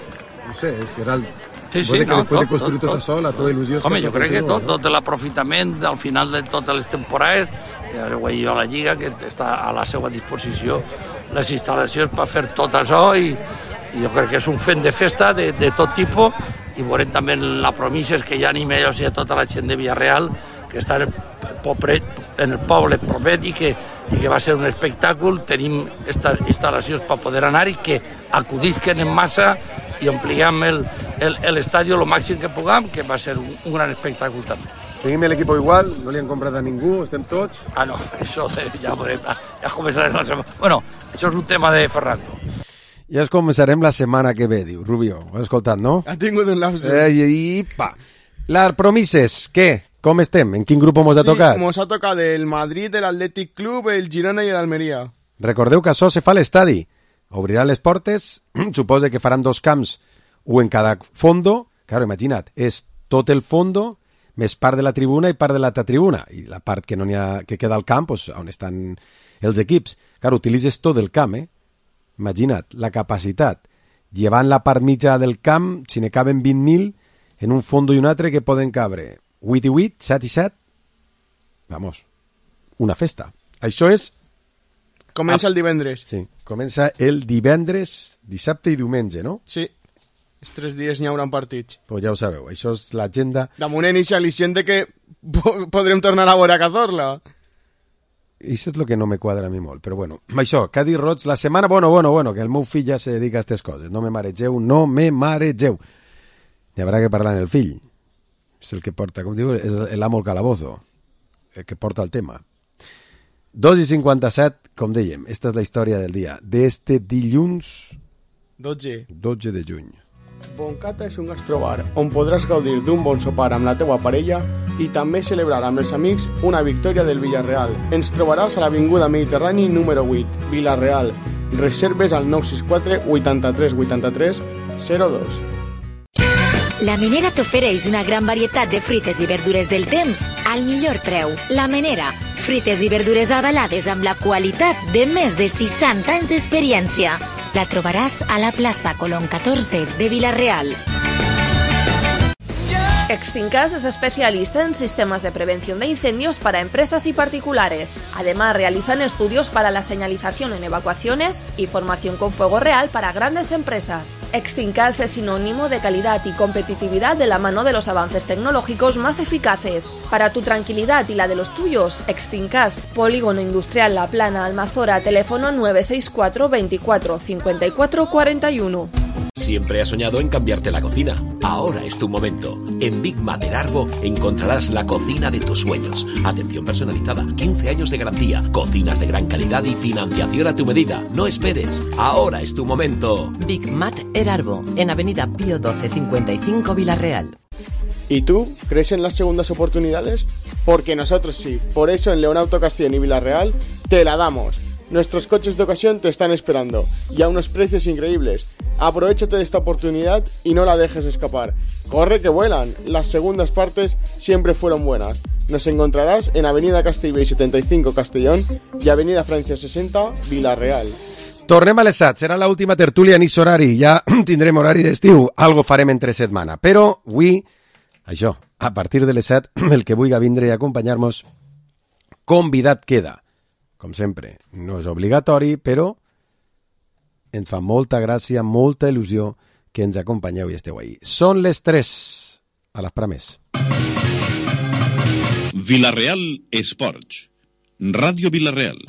No sé, serà el... Sí, no, després de construir tot això, la teva il·lusió... Home, jo crec que tot l'aprofitament al final de totes les temporades, jo a la Lliga, que està a la seva disposició les instal·lacions per fer tot això, i jo crec que és un fent de festa de tot tipus, i veurem també la Promises, que ja anim ells i a tota la gent de Villarreal, que està en el poble propet i que va ser un espectacle. Tenim instal·lacions per poder anar i que acudisquen en massa i ompliguem l'estadi el màxim que puguem, que va ser un gran espectacle també. Tenim l'equip igual, no li han comprat a ningú, estem tots... No, això ja veurem, ja començarem la setmana. Bueno, això és un tema de Fernando. Ja es començarem la setmana que ve, diu Rubio. Ho has escoltat, no? Ha tingut un lapsus. Les Promises, què? Com estem? En quin grup mos ha tocat? Sí, mos ha tocat el Madrid, l'Atlètic Club, el Girona i l'Almeria. Recordeu que això se fa a l'estadi. Obrirà les portes, suposa que faran 2 camps, un en cada fondo. Claro, imagina't, és tot el fondo, més part de la tribuna i part de l'altra tribuna. I la part que no n'hi ha, que queda al camp, pues, on estan els equips. Claro, utilitzes tot el camp, Imagina't, la capacitat. Llevant la part mitja del camp, si ne caben 20.000, en un fondo i un altre que poden cabre 8 i 8, 7 i 7. Vamos, una festa. Això és... Comença el divendres. Sí, comença el divendres, dissabte i diumenge, no? Sí, els 3 dies n'hi haurà partits. Pues ja ho sabeu, això és l'agenda... Damunt en eixa al·licient que podrem tornar a veure a Cazorla. Això és el que no me quadra a mi molt, però bueno. Això, Cadi Roig, la setmana... Bueno, que el meu fill ja se dedica a aquestes coses. No me maregeu. Hi haurà que parlar en el fill. És el que porta, com diu, és l'amo al calabozo, el que porta el tema. 2:57, com dèiem, esta és la història del dia, d'este dilluns 12 de juny. Boncata és un gastrobar on podràs gaudir d'un bon sopar amb la teua parella i també celebrar amb els amics una victòria del Villarreal. Ens trobaràs a l'Avinguda Mediterrani número 8, Villarreal. Reserves al 964 83 83 02. La Menera t'ofereix una gran varietat de fruites i verdures del temps al millor preu. La Menera, fruites i verdures avalades amb la qualitat de més de 60 anys d'experiència. La trobaràs a la plaça Colón 14 de Villarreal. Extincas es especialista en sistemas de prevención de incendios para empresas y particulares. Además, realizan estudios para la señalización en evacuaciones y formación con fuego real para grandes empresas. Extincas es sinónimo de calidad y competitividad de la mano de los avances tecnológicos más eficaces. Para tu tranquilidad y la de los tuyos, Extincas, Polígono Industrial La Plana, Almazora, teléfono 964 24 54 41. Siempre has soñado en cambiarte la cocina. Ahora es tu momento. En Big Mat del Arbo encontrarás la cocina de tus sueños. Atención personalizada, 15 años de garantía, cocinas de gran calidad y financiación a tu medida. No esperes. Ahora es tu momento. Big Mat del Arbo, en Avenida Pío 12 55 Villarreal. ¿Y tú crees en las segundas oportunidades? Porque nosotros sí. Por eso en León Auto Castellón y Villarreal te la damos. Nuestros coches de ocasión te están esperando y a unos precios increíbles. Aprovechate de esta oportunidad y no la dejes escapar. ¡Corre que vuelan! Las segundas partes siempre fueron buenas. Nos encontrarás en Avenida Castellbell 75 Castellón y Avenida Francia 60 Villarreal. Tornem a les 7, serà l'última tertúlia en horari, ja tindrem horari d'estiu, algo farem entre setmana, però avui, això, a partir de les 7, el que vulgui vindre i acompanyar-nos, convidat queda. Com sempre, no és obligatori, però ens fa molta gràcia, molta il·lusió que ens acompanyeu i esteu ahí. Són les 3, a l'esperar més. Villarreal Esports, Ràdio Villarreal.